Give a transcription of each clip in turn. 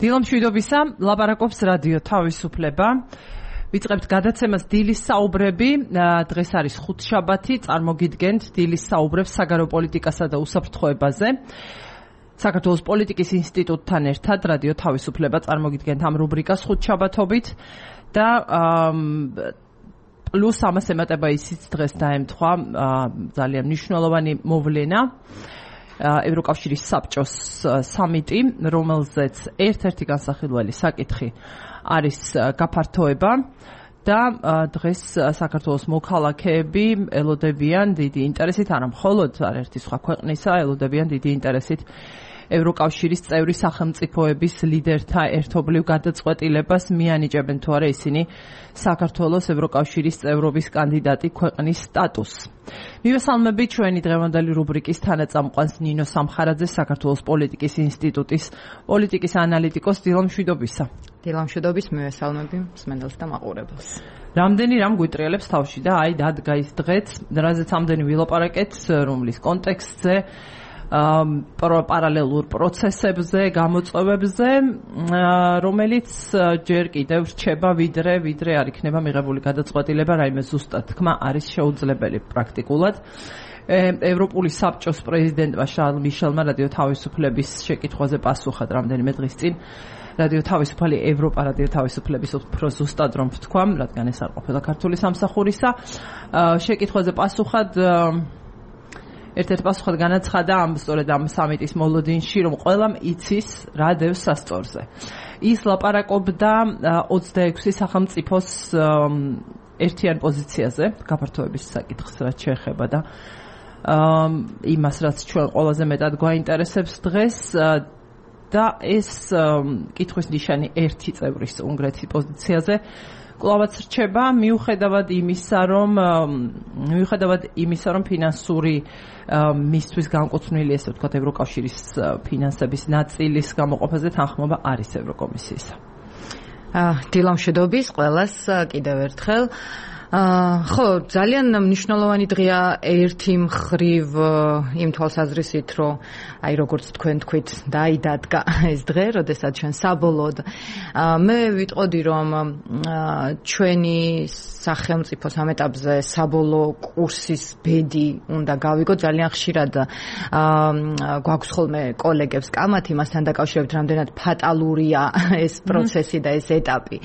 დილამშვიდობისა, ლაპარაკობს რადიო თავისუფლება. ვიწყებთ გადაცემას დილის საუბრები. დღეს არის ხუთშაბათი, წარმოგიდგენთ დილის საუბრებს საგარეო პოლიტიკასა და უსაფრთხოებაზე. საქართველოს პოლიტიკის ინსტიტუტთან ერთად რადიო თავისუფლება წარმოგიდგენთ ამ რუბრიკას ხუთშაბათობით და პლუს ამას ემატება ისიც დღეს დაემთხვა ძალიან მნიშვნელოვანი მოვლენა. ევროკავშირის საბჭოს სამიტი, რომელზეც ერთ-ერთი განსახილველი საკითხი არის გაფართოება და დღეს საქართველოს მოქალაქეები ელოდებიან დიდი ინტერესით, არა მხოლოდ არაერთი სხვა ქვეყნისა, ელოდებიან დიდი ინტერესით ევროკავშირის წევრი სახელმწიფოების ლიდერთა ერთობლივ გადაწყვეტილებას, მიანიჭებენ თუ არა ისინი საქართველოს ევროკავშირის წევრობის კანდიდატი ქვეყნის სტატუსს. მივესალმებით ჩვენი დღევანდელი რუბრიკის თანაწამყვანს ნინო სამხარაძეს, საქართველოს პოლიტიკის ინსტიტუტის პოლიტიკის ანალიტიკოს. დილამშვიდობისა. დილამშვიდობის, მივესალმები მსმენელს და მაყურებელს. რამდენი რამ გვიტრიალებს თავში და აი დადგა ის დღეც, რაზეც ამდენი ვილაპარაკეთ, რომლის კონტექსტზე, პარალელურ პროცესებზე, გამოწვევებზე, რომელიც ჯერ კიდევ რჩება ვიდრე არ იქნება მიღებული გადაწყვეტილება, რაიმე ზუსტად თქმა არის შეუძლებელი პრაქტიკულად. ევროპული საბჭოს პრეზიდენტმა შარლ მიშელმა რადიო თავისუფლების შეკითხვაზე პასუხად რამდენიმე დღის წინ რადიო თავისუფალი ევროპა რადიო თავისუფლების უფრო ზუსტად რომ ვთქვა, რადგან ეს არ ყოფილა ქართული სამსახურისა, შეკითხვაზე პასუხად ერთ-ერთ პასუხად განაცხადა სწორედ ამ სამიტის მოლოდინში, რომ ყველამ იცის რა დევს სასწორზე. ის ლაპარაკობდა 26 სახელმწიფოს ერთიან პოზიციაზე გაფართოების საკითხს, რაც შეეხება და იმას, რაც ჩვენ ყველაზე მეტად გვაინტერესებს დღეს და ეს კითხვის ნიშანი ერთი წევრის უნგრეთის პოზიციაზე კლავაც რჩება, მიუხედავად იმისა, რომ ფინანსური მისთვის განკუთვნილი, ესე ვთქვათ, ევროკავშირის ფინანსების ნაწილის გამოყოფაზე თანხმობა არის ევროკომისიისა. დილამშვიდობის ყველას კიდევ ერთხელ. ხო, ძალიან მნიშვნელოვანი დღეა ერთი მხრივ იმ თვალსაზრისით, რომ აი როგორც თქვენ თქვით, დაიდადგა ეს დღე, როდესაც ჩვენ საბოლოოდ მე ვიტყოდი, რომ ჩვენი სახელმწიფოს ამ ეტაპზე საბოლოო კურსის ბედი უნდა გავიგო. ძალიან ხშირად გვაქვს ხოლმე კოლეგებს კამათი მასთან დაკავშირებით, რამდენად ფატალურია ეს პროცესი და ეს ეტაპი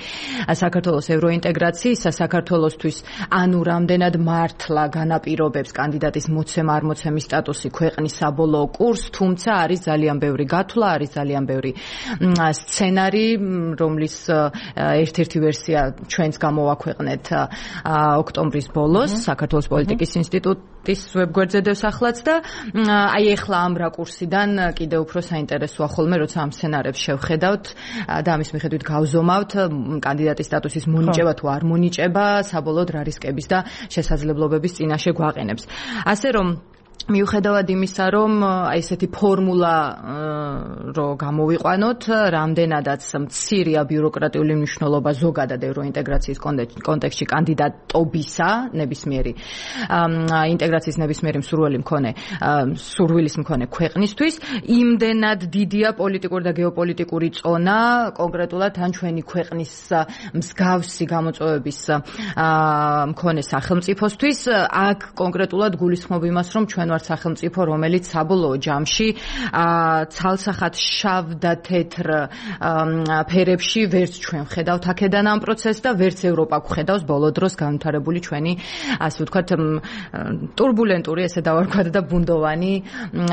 საქართველოს ევროინტეგრაციისა, საქართველოსთვის ანუ რამდენად მართლა განაპირობებს კანდიდატის მოცემა არ მოცემის სტატუსი ქვეყნის საბოლოო კურსს, თუმცა არის ძალიან ბევრი გათვლა, არის ძალიან ბევრი სცენარი, რომლის ერთ-ერთი ვერსია ჩვენც გამოვაქვეყნეთ ოქტომბრის ბოლოს საქართველოს პოლიტიკის ინსტიტუტის ვებგვერდზე დევსახლაც და აი ეხლა ამ რაკურსიდან კიდევ უფრო საინტერესოა ხოლმე, როცა ამ სცენარებს შევხედავთ და ამის მიხედვით გავზომავთ კანდიდატის სტატუსის მონიჭება თუ არ მონიჭება საბოლოოდ რა რისკების და შესაძლებლობების წინაშე გვაყენებს. ასე რომ მიუხედავად იმისა, რომ აი ესეთი ფორმულა რო გამოვიყვანოთ, რამდენადაც მცირეა ბიუროკრატიული მნიშვნელობა ზოგადად ევროინტეგრაციის კონტექსტში კანდიდატობისა, ნებისმიერი ინტეგრაციის ნებისმიერი სურვილის მქონე ქვეყნისთვის, იმდენად დიდია პოლიტიკური და გეოპოლიტიკური წონა, კონკრეტულად ან ჩვენი ქვეყნის მსგავსი გამოწვევების მქონე სახელმწიფოსთვის, აქ კონკრეტულად გულისხმობ იმას, რომ ჩვენ ვართ სახელმწიფო, რომელიც საბოლოო ჯამში ცალსახად შავ და თეთრ ფერებში ვერც ჩვენ ვხედავთ აქედან ამ პროცესს და ვერც ევროპა გვხედავს ბოლო დროს განვითარებული ჩვენი, ასე ვთქვათ, ტურბულენტური, ესე დავარქვათ და ბუნდოვანი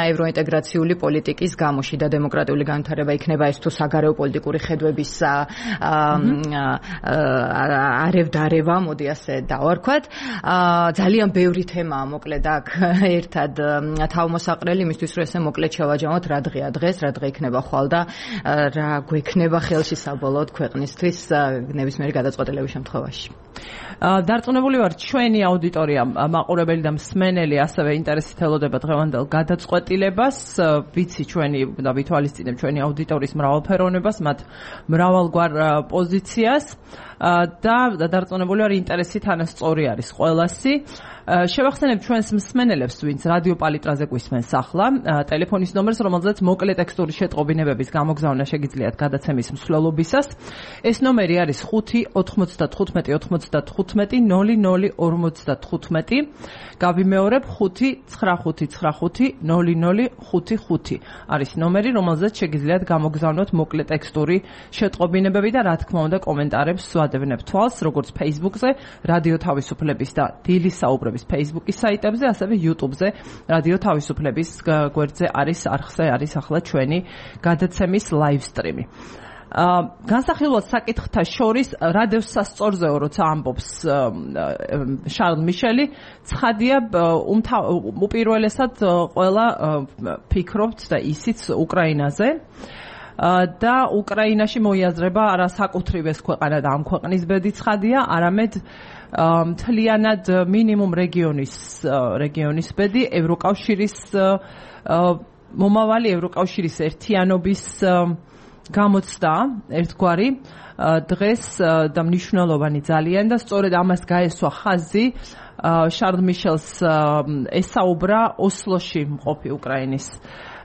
ევროინტეგრაციული პოლიტიკის გამოში და დემოკრატიული განვითარება იქნება ეს თუ საგარეო პოლიტიკური ხედვების არევ-დარევა, მოდი ასე დავარქვათ. ძალიან ბევრი თემაა მოკლედ აქ ერთად თავმოსაყრელი იმისთვის, რომ ესე მოკლედ შევაჯამოთ რა დღეა დღეს, რა დღე იქნება ხვალ და რა გვექნება ხელში საბოლოოდ ქვეყნისთვის ნებისმიერი გადაწყვეტილების შემთხვევაში. დარწმუნებული ვარ, ჩვენი აუდიტორია, მაყურებელი და მსმენელი ასევე ინტერესით ელოდება დღევანდელ გადაწყვეტილებას. ვიცი ჩვენი და ვითვალისწინებ ჩვენი აუდიტორიის მრავალფეროვნებას, მათ მრავალგვარ პოზიციას. და დარწმუნებული ვარ ინტერესი თანასწორი არის ყველასი. შევახსენებ ჩვენს მსმენელებს, ვინც რადიო პალიტრაზე გვისმენს ახლა, ტელეფონის ნომერს, რომელზეც მოკლე ტექსტური შეტყობინებების გამოგზავნა შეგიძლიათ გადაცემის მსვლელობისას. ეს ნომერი არის 5-95-95-00-55. გავიმეორებ 5-95-95-00-55 არის ნომერი, რომელზეც შეგიძლიათ გამოგზავნოთ მოკლე ტექსტური შეტყობინებები და რა თქმა უნდა კომენტარებს ვადევნებ თვალს, როგორც Facebook-ზე, რადიო თავისუფლების და დილის საუბრების Facebook-ის საიტებზე, ასევე YouTube-ზე, რადიო თავისუფლების გვერდზე არის არხზე არის ახლა ჩვენი გადაცემის live stream-ი. განსახილველ საკითხთა შორის რადიოს სასწორზეო როცა ამბობს შარლ მიშელი, ცხადია უპირველესად ყველა ფიქრობთ და ისიც უკრაინაზე და უკრაინაში მოიაზრება არა საკუთრივ ეს ქვეყანა და ამ ქვეყნის ბედი ცხადია, არამედ მთლიანად მინიმუმ რეგიონის ბედი, ევროკავშირის მომავალი ევროკავშირის ერთიანობის გამოცდა ერთგვარი დღეს და მნიშვნელოვანი ძალიან და სწორედ ამას გაესვა ხაზი შარლ მიშელს ესაუბრა ოსლოში მყოფი უკრაინის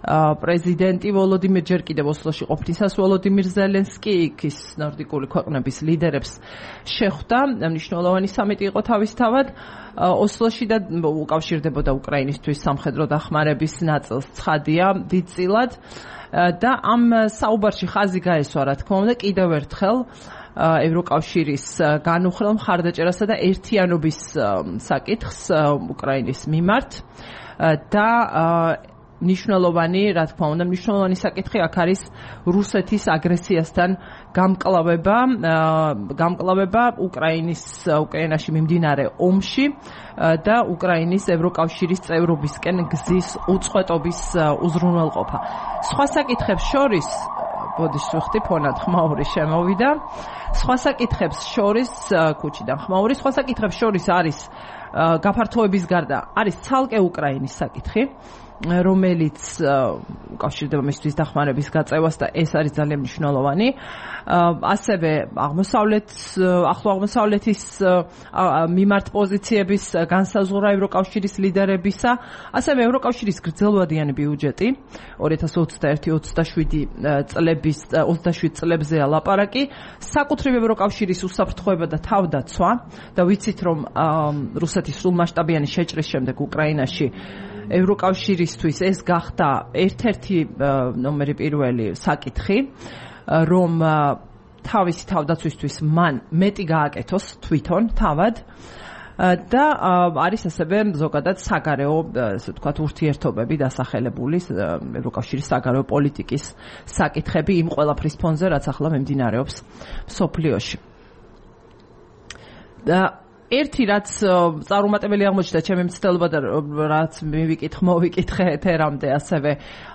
პრეზიდენტი ვოლოდიმირ ჯერ კიდევ ოსლოში ყოფნისას ვოლოდიმირ ზელენსკი იქის ნორდიკული ქვეყნების ლიდერებს შეხვდა. მნიშვნელოვანი სამიტი იყო თავისთავად ოსლოში და უკავშირდებოდა უკრაინისთვის სამხედრო დახმარების ნაწილს, ცხადია დიდწილად. და ამ საუბარში ხაზი გაესვა, რა თქმა უნდა, კიდევ ერთხელ ევროკავშირის განუხრელ მხარდაჭერასა და ერთიანობის საკითხს უკრაინის მიმართ და მნიშვნელოვანი, რა თქმა უნდა, მნიშვნელოვანი საკითხი აქ არის რუსეთის აგრესიასთან გამკლავება უკრაინაში მიმდინარე ომში და უკრაინის ევროკავშირის წევრობისკენ გზის უწყვეტობის უზრუნველყოფა. სხვა საკითხებს შორის, ბოდიშ ვიხდი ფონად ხმაური შემოვიდა. სხვა საკითხებს შორის ქუჩიდან ხმაური, სხვა საკითხებს შორის არის გაფართოების გარდა არის ცალკე უკრაინის საკითხი, რომელიც უკავშირდება მისთვის დახმარების გაწევას და ეს არის ძალიან მნიშვნელოვანი. ასევე ახლო აღმოსავლეთის მიმართ პოზიციების განსაზღვრა ევროკავშირის ლიდერებისა, ასევე ევროკავშირის გრძელვადიანი ბიუჯეტი 2026 წლებზეა ლაპარაკი, საკუთრივ ევროკავშირის უსაფრთხოება და თავდაცვა და ვიცით რომ რუსეთის სრულმასშტაბიანი შეჭრის შემდეგ უკრაინაში ევროკავშირისთვის ეს გახდა ერთ-ერთი ნომერი პირველი საკითხი, რომ თავისი თავდაცვისთვის მან მეტი გააკეთოს თვითონ თავად და არის ასევე ზოგადად საგარეო, ასე ვთქვათ, ურთიერთობები დასახელებული ევროკავშირის საგარეო პოლიტიკის საკითხები იმ ყველაფრის ფონზე, რაც ახლა მიმდინარეობს მსოფლიოში. და ერთი რაც წარუმატებელი აღმოჩნდა ჩემი მცდელობა და რაც მოვიკითხე ეთერამდე ასევე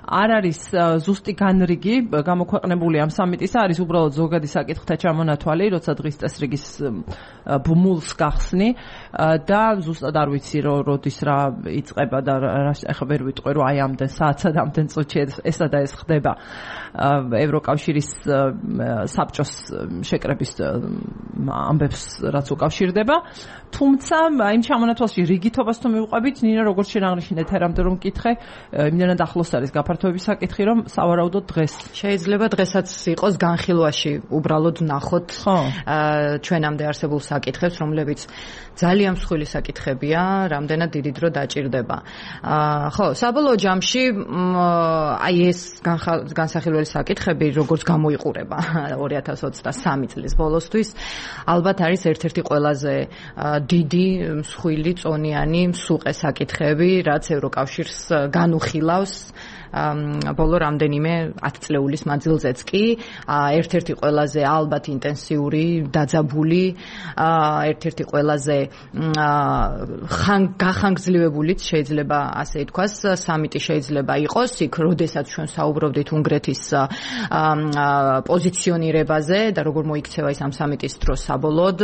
არ არის ზუსტი განრიგი გამოქვეყნებული ამ სამიტისა, არის უბრალოდ ზოგადი საკითხთა ჩამონათვალი, როცა დღის წესრიგის ბმულს გახსნი და ზუსტად არ ვიცი როდის რა იწყება და ახლა ვერ ვიტყვი რომ აი ამდენ საათსა და ამდენ წუთში ესა და ეს ხდება ევროკავშირის საბჭოს შეკრების ამბებს რაც უკავშირდება. თუმცა იმ ჩამონათვალში რიგითობას თუ მივყვებით, ნინა როგორც შენ აღნიშნე ეთერამდე რომ მკითხე, იმდენად ახლოს არის გაფართოების საკითხი, რომ სავარაუდოდ დღეს შეიძლება დღესაც იყოს განხილვაში უბრალოდ ვნახოთ ჩვენამდე არსებულ საკითხებს, რომლებიც ძალიან მსხვილი საკითხებია, რამდენად დიდი დრო დაჭირდება. ხო, საბოლოო ჯამში აი ეს განსახილველი საკითხები როგორც გამოიყურება 2023 წლის ბოლოსთვის, ალბათ არის ერთ-ერთი ყველაზე დიდი, მსხვილი, წონიანი, მსუყე საკითხები, რაც ევროკავშირს განუხილავს ბოლო რამდენიმე 10 წლეულის მანძილზეც კი, ერთ-ერთი ყველაზე ალბათ ინტენსიური, დაძაბული, ერთ-ერთი ყველაზე გახანგრძლივებულიც შეიძლება ასე ითქვას, სამიტი შეიძლება იყოს, იქ როდესაც ჩვენ საუბრობდით უნგრეთის პოზიციონირებაზე და როგორ მოიქცევა ის ამ სამიტის დროს იყოს საბოლოოდ.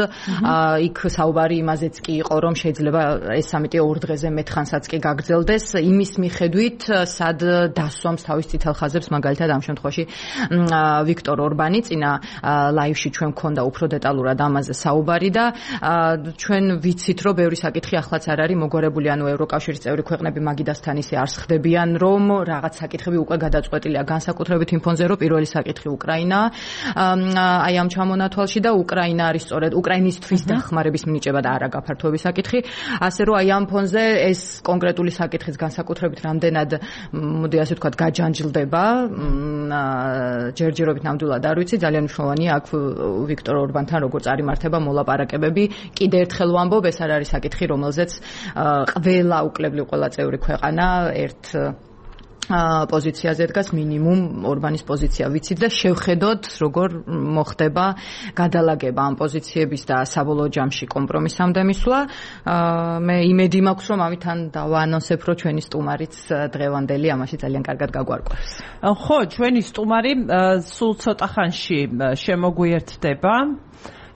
იქ საუბარი იმაზეც კი იყო, რომ შეიძლება ეს სამიტი 2 დღეზე მეტ ხანსაც კი გაგრძელდეს, იმის მიხედვით, სად დასვამს თავის წითელ ხაზებს, მაგალითად ამ შემთხვევაში ვიქტორ ორბანი. წინა ლაივში ჩვენ გქონდა უფრო დეტალურად ამაზე საუბარი და ჩვენ ვიცით, რომ ბევრი საკითხი ახლაც არ არის მოგვარებული, ანუ ევროკავშირის წევრი ქვეყნები მაგიდასთან ისე არ ხდებიან, რომ რაღაც საკითხები უკვე გადაწყვეტილია, განსაკუთრებით იმ ფონზე, რომ პირველი საკითხი უკრაინაა. აი ამ ჩამონათვალში და უკრაინა არის სწორედ უკრაინისთვის დახმარების მინიჭება და არა გაფართოების საკითხი. ასე რომ აი ამ ფონზე ეს კონკრეტული საკითხის განსაკუთრებით რამდენად მოდი ასე ვთქვათ გაჯანჯლდება, ჯერჯერობით ნამდვილად არ ვიცი, ძალიან მნიშვნელოვანია აქ ვიქტორ ორბანთან როგორ წარიმართება მოლაპარაკებები. კიდე ერთხელ ვამბობ, ეს არ არის საკითხი, რომელზეც ყველა უკლებლივ ყველა წევრი ქვეყანა ერთ პოზიციაზე დგას, მინიმუმ ორბანის პოზიცია ვიცით და შევხედოთ როგორ მოხდება გადალაგება ამ პოზიციების და საბოლოო ჯამში კომპრომისამდე მისვლა. მე იმედი მაქვს, რომ ამით დავაანონსებ, რომ ჩვენი სტუმარიც დღევანდელი ამაში ძალიან კარგად გაგვარკვევს. ხო, ჩვენი სტუმარი სულ ცოტა ხანში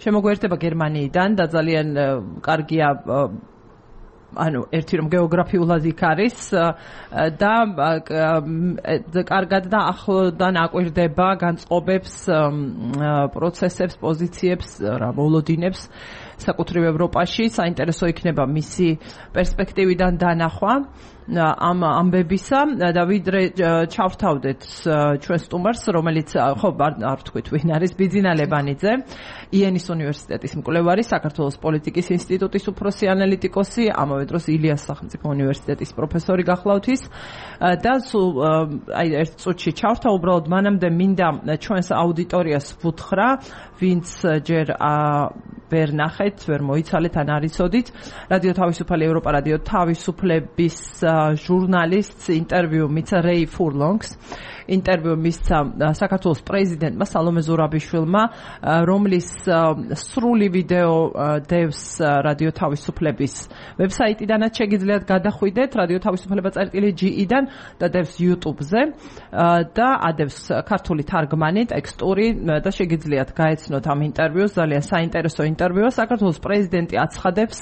შემოგვიერთდება გერმანიიდან და ძალიან კარგია, ანუ ერთი რომ გეოგრაფიულად იქ არის და კარგად და ახლოდან აკვირდება განწყობებს, პროცესებს, პოზიციებს, მოლოდინებს საკუთრივ ევროპაში. საინტერესო იქნება მისი პერსპექტივიდან დანახვა ამ ამბებისა და ვიდრე ჩავთავდეთ ჩვენ სტუმარს, რომელიც ხო არ ვთქვით ვინ არის, ბიძინა ლებანიძე, იენის უნივერსიტეტის მკვლევარი, საქართველოს პოლიტიკის ინსტიტუტის უფროსი ანალიტიკოსი, ამავე დროს ილიას სახელმწიფო უნივერსიტეტის პროფესორი გახლავთ ის და სულ აი ერთ წუთში ჩავთავ, უბრალოდ მანამდე მინდა ჩვენს აუდიტორიას ვუთხრა, ვინც ჯერ ვერ ნახეთ, ვერ მოიცალეთ ან არ იცოდით, რადიო თავისუფალი ევროპა, რადიო თავისუფლების ჟურნალისტს ინტერვიუ მიცა რეი ფურლონგს, ინტერვიუ მისცა საქართველოს პრეზიდენტმა სალომე ზურაბიშვილმა, რომლის სრული ვიდეო დევს რადიო თავისუფლების ვებსაიტიდანაც შეგიძლიათ გადახვიდეთ, რადიო თავისუფლება.ge-დან და დევს YouTube-ზე და ადევს ქართული თარგმანი, ტექსტური და შეგიძლიათ გაეცნოთ ამ ინტერვიუს, ძალიან საინტერესო ინტერვიუა. საქართველოს პრეზიდენტი აცხადებს,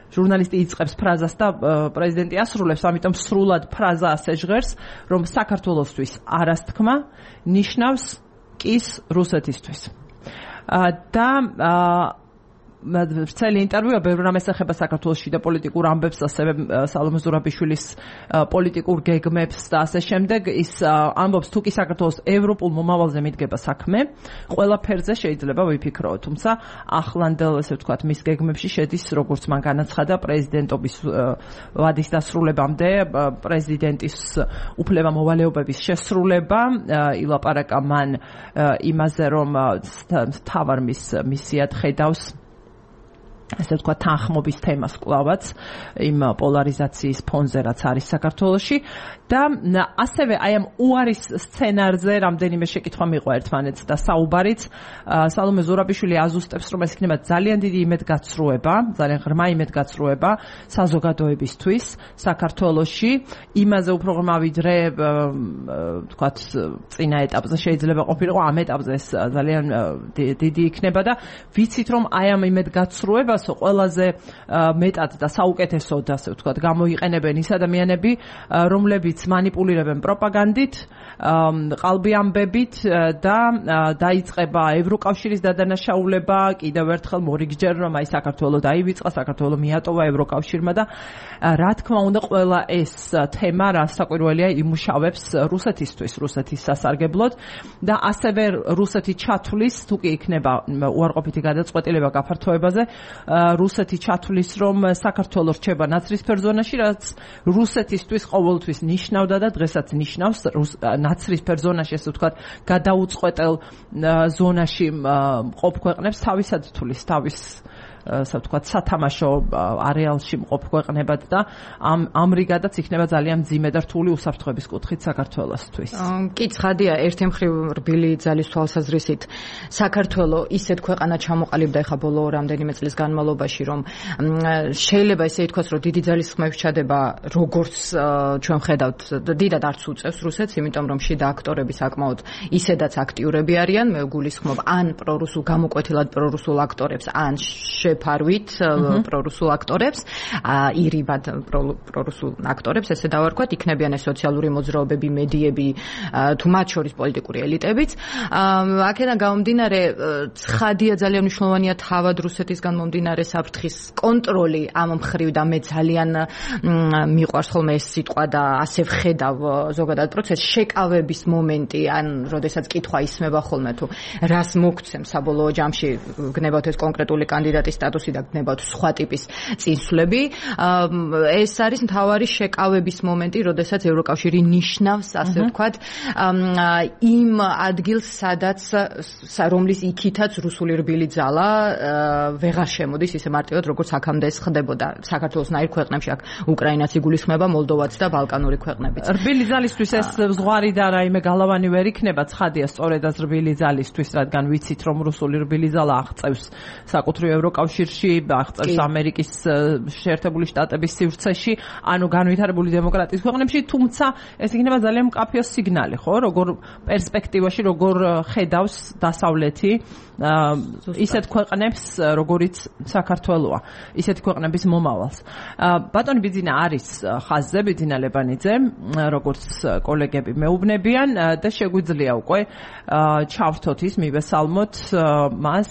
ჟურნალისტი იწყებს ფრაზას და პრეზიდენტი ასრულებს, ამიტომ სრულად ფრაზა ასე ჟღერს, რომ საქართველოსთვის არასთქმა ნიშნავს კის რუსეთისთვის. და ვრცელი ინტერვიუა ბევრ რამეს ეხება საქართველოს შიდა პოლიტიკურ ამბებს, ასევე სალომე ზურაბიშვილის პოლიტიკურ გეგმებს და ასე შემდეგ. ის ამბობს, თუ კი საქართველოს ევროპულ მომავალზე მიდგება საქმე, ყველაფერზე შეიძლება ვიფიქროთ, თუმცა ახლანდელ, ესე ვთქვათ, მის გეგმებში შედის, როგორც მან განაცხადა, პრეზიდენტობის ვადის დასრულებამდე პრეზიდენტის უფლება-მოვალეობების შესრულება. ილაპარაკა მან იმაზე, რომ მთავარ მისიად ხედავს ასე ვთქვათ, თანხმობის თემას კლავაც იმ პოლარიზაციის ფონზე, რაც არის საქართველოში და ასევე აი ამ უარის სცენარზე რამდენიმე შეკითხვა მიყვა ერთმანეთს და საუბარიც. სალომე ზურაბიშვილი აზუსტებს, რომ ეს იქნება ძალიან დიდი იმედგაცრუება, ძალიან ღრმა იმედგაცრუება საზოგადოებისთვის საქართველოში, იმაზე უფრო ღრმა ვიდრე ვთქვათ წინა ეტაპზე შეიძლება ყოფილიყო, ამ ეტაპზე ეს ძალიან დიდი იქნება და ვიცით, რომ აი ამ იმედგაცრუება ყველაზე მეტად და საუკეთესოდ, ასე ვთქვათ, გამოიყენებენ ის ადამიანები, რომლებიც მანიპულირებენ პროპაგანდით, ყალბი ამბებით და დაიწყება ევროკავშირის დადანაშაულება, კიდევ ერთხელ მორიგჯერ, რომ აი საქართველო დაივიწყა, საქართველო მიატოვა ევროკავშირმა და რა თქმა უნდა ყველა ეს თემა რასაკვირველია იმუშავებს რუსეთისთვის, რუსეთის სასარგებლოდ და ასევე რუსეთი ჩათვლის, თუ კი იქნება უარყოფითი გადაწყვეტილება გაფართოებაზე, რუსეთი ჩათვლის, რომ საქართველო რჩება ნაცრისფერ ზონაში, რაც რუსეთისთვის ყოველთვის ნიშნავდა და დღესაც ნიშნავს ნაცრისფერ ზონაში, ესე ვთქვათ, გადაუწყვეტელ ზონაში მყოფ ქვეყნებს თავისად თulis, თავის ასე ვთქვათ, სათამაშო არეალში მყოფ ქვეყნებად და ამრიგადაც იქნება ძალიან მძიმე და რთული უსაფრთხოების კუთხით საქართველოსთვის. კი, ცხადია, ერთი მხრივ რბილი ძალის თვალსაზრისით საქართველო ისეთ ქვეყანა ჩამოყალიბდა ეხა ბოლო რამდენიმე წლის განმავლობაში, რომ შეიძლება ესე ითქვას, რომ დიდი ძალის ხმების ჩადება როგორც ჩვენ ხედავთ, დიდად არც უწევს რუსეთს, იმიტომ რომ შიდა აქტორები საკმაოდ ისედაც აქტიურები არიან, მე გულისხმობ ან პრორუსულ გამოკვეთილად პრორუსულ აქტორებს, ან შეფარვით პრორუსულ აქტორებს, ირიბად პრორუსულ აქტორებს, ესე დავარქვათ, იქნებიან ეს სოციალური მოძრაობები, მედიები, თუ მათ შორის პოლიტიკური ელიტებიც. აქედან გამომდინარე, ცხადია ძალიან მნიშვნელოვანია თავად რუსეთისგან მომდინარე საფრთხის კონტროლი ამ მხრივ და მე ძალიან მიყვარს ხოლმე ეს სიტყვა და ასე ვხედავ ზოგადად პროცესს, შეკავების მომენტი, ან როდესაც კითხვა ისმება ხოლმე თუ რას მოგცემ საბოლოო ჯამში, გნებავთ ეს კონკრეტული კანდიდატის სტატუსი და გნებავთ სხვა ტიპის წინსვლები. ეს არის მთავარი შეკავების მომენტი, როდესაც ევროკავშირი ნიშნავს, ასე ვთქვათ, იმ ადგილს, სადაც რომლის იქითაც რუსული რბილი ძალა ვეღარ შემოდის ისე მარტივად, როგორც აქამდე ეს ხდებოდა საქართველოსნაირ ქვეყნებში, აქ უკრაინაც იგულისხმება, მოლდოვაც და ბალკანური ქვეყნებიც. რბილი ძალისთვის ეს ზღვარი და რაიმე გალავანი ვერ იქნება, ცხადია, სწორედაც რბილი ძალისთვის, რადგან ვიცით, რომ რუსული რბილი ძალა აღწევს საკუთრივ ევროკავშირში, აღწევს ამერიკის შეერთებული შტატების სივრცეში, ანუ განვითარებული დემოკრატიის ქვეყნებში, თუმცა ეს იქნება ძალიან მკაფიო სიგნალი, ხო, როგორ პერსპექტივაში, როგორ ხედავს დასავლეთი ისეთ ქვეყნებს, როგორიც საქართველოა, ისეთი ქვეყნების მომავალს. ბატონი ბიძინა არის ხაზზე, ბიძინა ლებანიძე, როგორც კოლეგები მეუბნებიან და შეგვიძლია უკვე ჩავრთოთ ის, მივესალმოთ მას,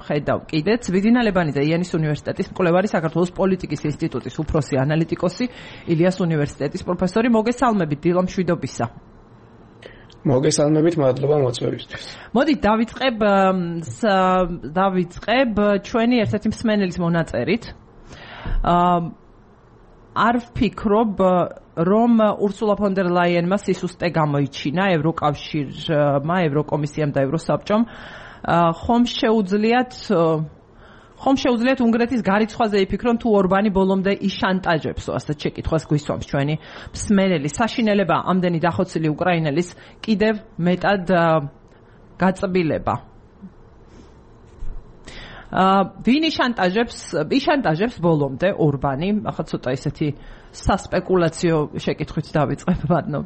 ხედავ კიდეც. ბიძინა ლებანიძე, იანის უნივერსიტეტის მკვლევარი, საქართველოს პოლიტიკის ინსტიტუტის უფროსი ანალიტიკოსი, ილიას უნივერსიტეტის პროფესორი. მოგესალმებით, დილო მშვიდობისა. მოგესალმებით, მადლობა მოწვევისთვის. მოდით დავიწყებ ჩვენი ერთ-ერთი მსმენელის მონაწერით. არ ვფიქრობ, რომ урсуლა фон дер ლაიენმა სისუსტე გამოიჩინა ევროკავშირმა, ევროკომისიამ და ევროსაბჭომ. ხომ შეუძლიათ უნგრეთის გარიცხვაზე იფიქრონ, თუ ორბანი ბოლომდე იშანტაჟებსო, ასეთ შეკითხვას გვისვამს ჩვენი მსმენელი. საშინელება ამდენი დახოცილი უკრაინელის კიდევ მეტად გაწბილება. ვინ იშანტაჟებს ბოლომდე ორბანი? ახლა ცოტა ისეთი სასპეკულაციო შეკითხვით დავიწყებ, ბატონო.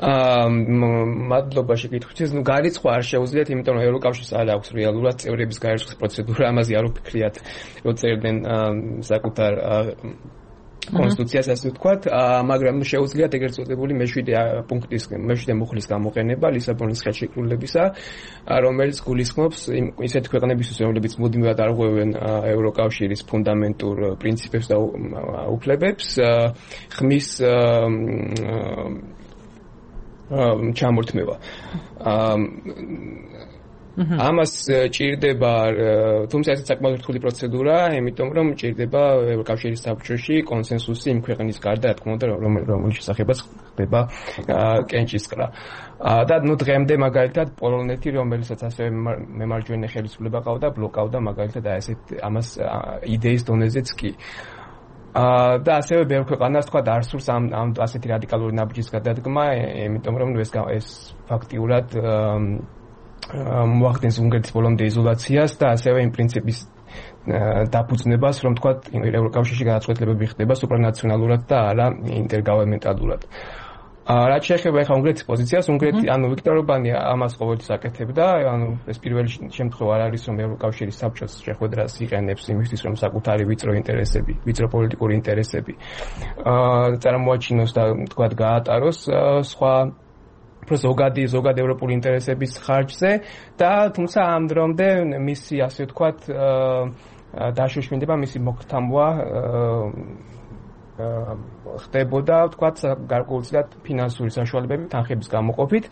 მადლობა შეკითხვისთვის. გარიცხვა არ შეუძლიათ, იმიტომ რომ ევროკავშირს არ აქვს რეალურად წევრების გარიცხვის პროცედურა, ამაზე არ ვფიქრიათ, რომ წერდნენ საკუთარ კონსტიტუციას, ასე ვთქვათ, მაგრამ შეუძლიათ ეგრეთ წოდებული მე-7 მუხლის გამოყენება ლისაბონის ხელშეკრულებისა, რომელიც გულისხმობს ისეთ ქვეყნებისთვის, რომლებიც მუდმივად არღვევენ ევროკავშირის ფუნდამენტურ პრინციპებს და უფლებებს, ხმის ჩამორთმევა. ამას ჭირდება, თუმცა ეს საკმაოდ რთული პროცედურა, იმიტომ რომ ჭირდება ევროკავშირის საბჭოში კონსენსუსი იმ ქვეყნის გარდა, რა თქმა უნდა, რომლის შესახებაც ხდება კენჭისყრა. და დღემდე მაგალითად პოლონეთი, რომელსაც ასევე მემარჯვენე ხელისუფლება ყავდა, ბლოკავდა მაგალითად ამას იდეის დონეზეც კი. და ასევე ბევრ ქვეყანას თქვა არ სურს ამ ასეთი რადიკალური ნაბიჯის გადადგმა, იმიტომ რომ ეს ფაქტიურად მოახდენს უნგრეთის ბოლომდე იზოლაციას და ასევე იმ პრინციპის დაფუძნებას, რომ თქვა ევროკავშირში გადაწყვეტილებები ხდება სუპრანაციონალურად და არა ინტერგოვერნმენტალურად. რაც შეეხება ახლა უნგრეთის პოზიციას, ვიქტორ ორბანი ამას ყოველთვის აკეთებდა, ეს პირველი შემთხვევა არ არის, რომ ევროკავშირის საბჭოს შეხვედრას იყენებს იმისთვის, რომ საკუთარი ვიწრო პოლიტიკური ინტერესები წარმოაჩინოს და თქვა გაატაროს სხვა ზოგადი ევროპული ინტერესების ხარჯზე და თუმცა ამ დრომდე მისი, ასე ვთქვათ, დაშოშმინდება, მისი მოგთამვა ხდებოდა, ვთქვათ, გარკვეულწილად ფინანსური საშუალებები თანხების გამოყოფით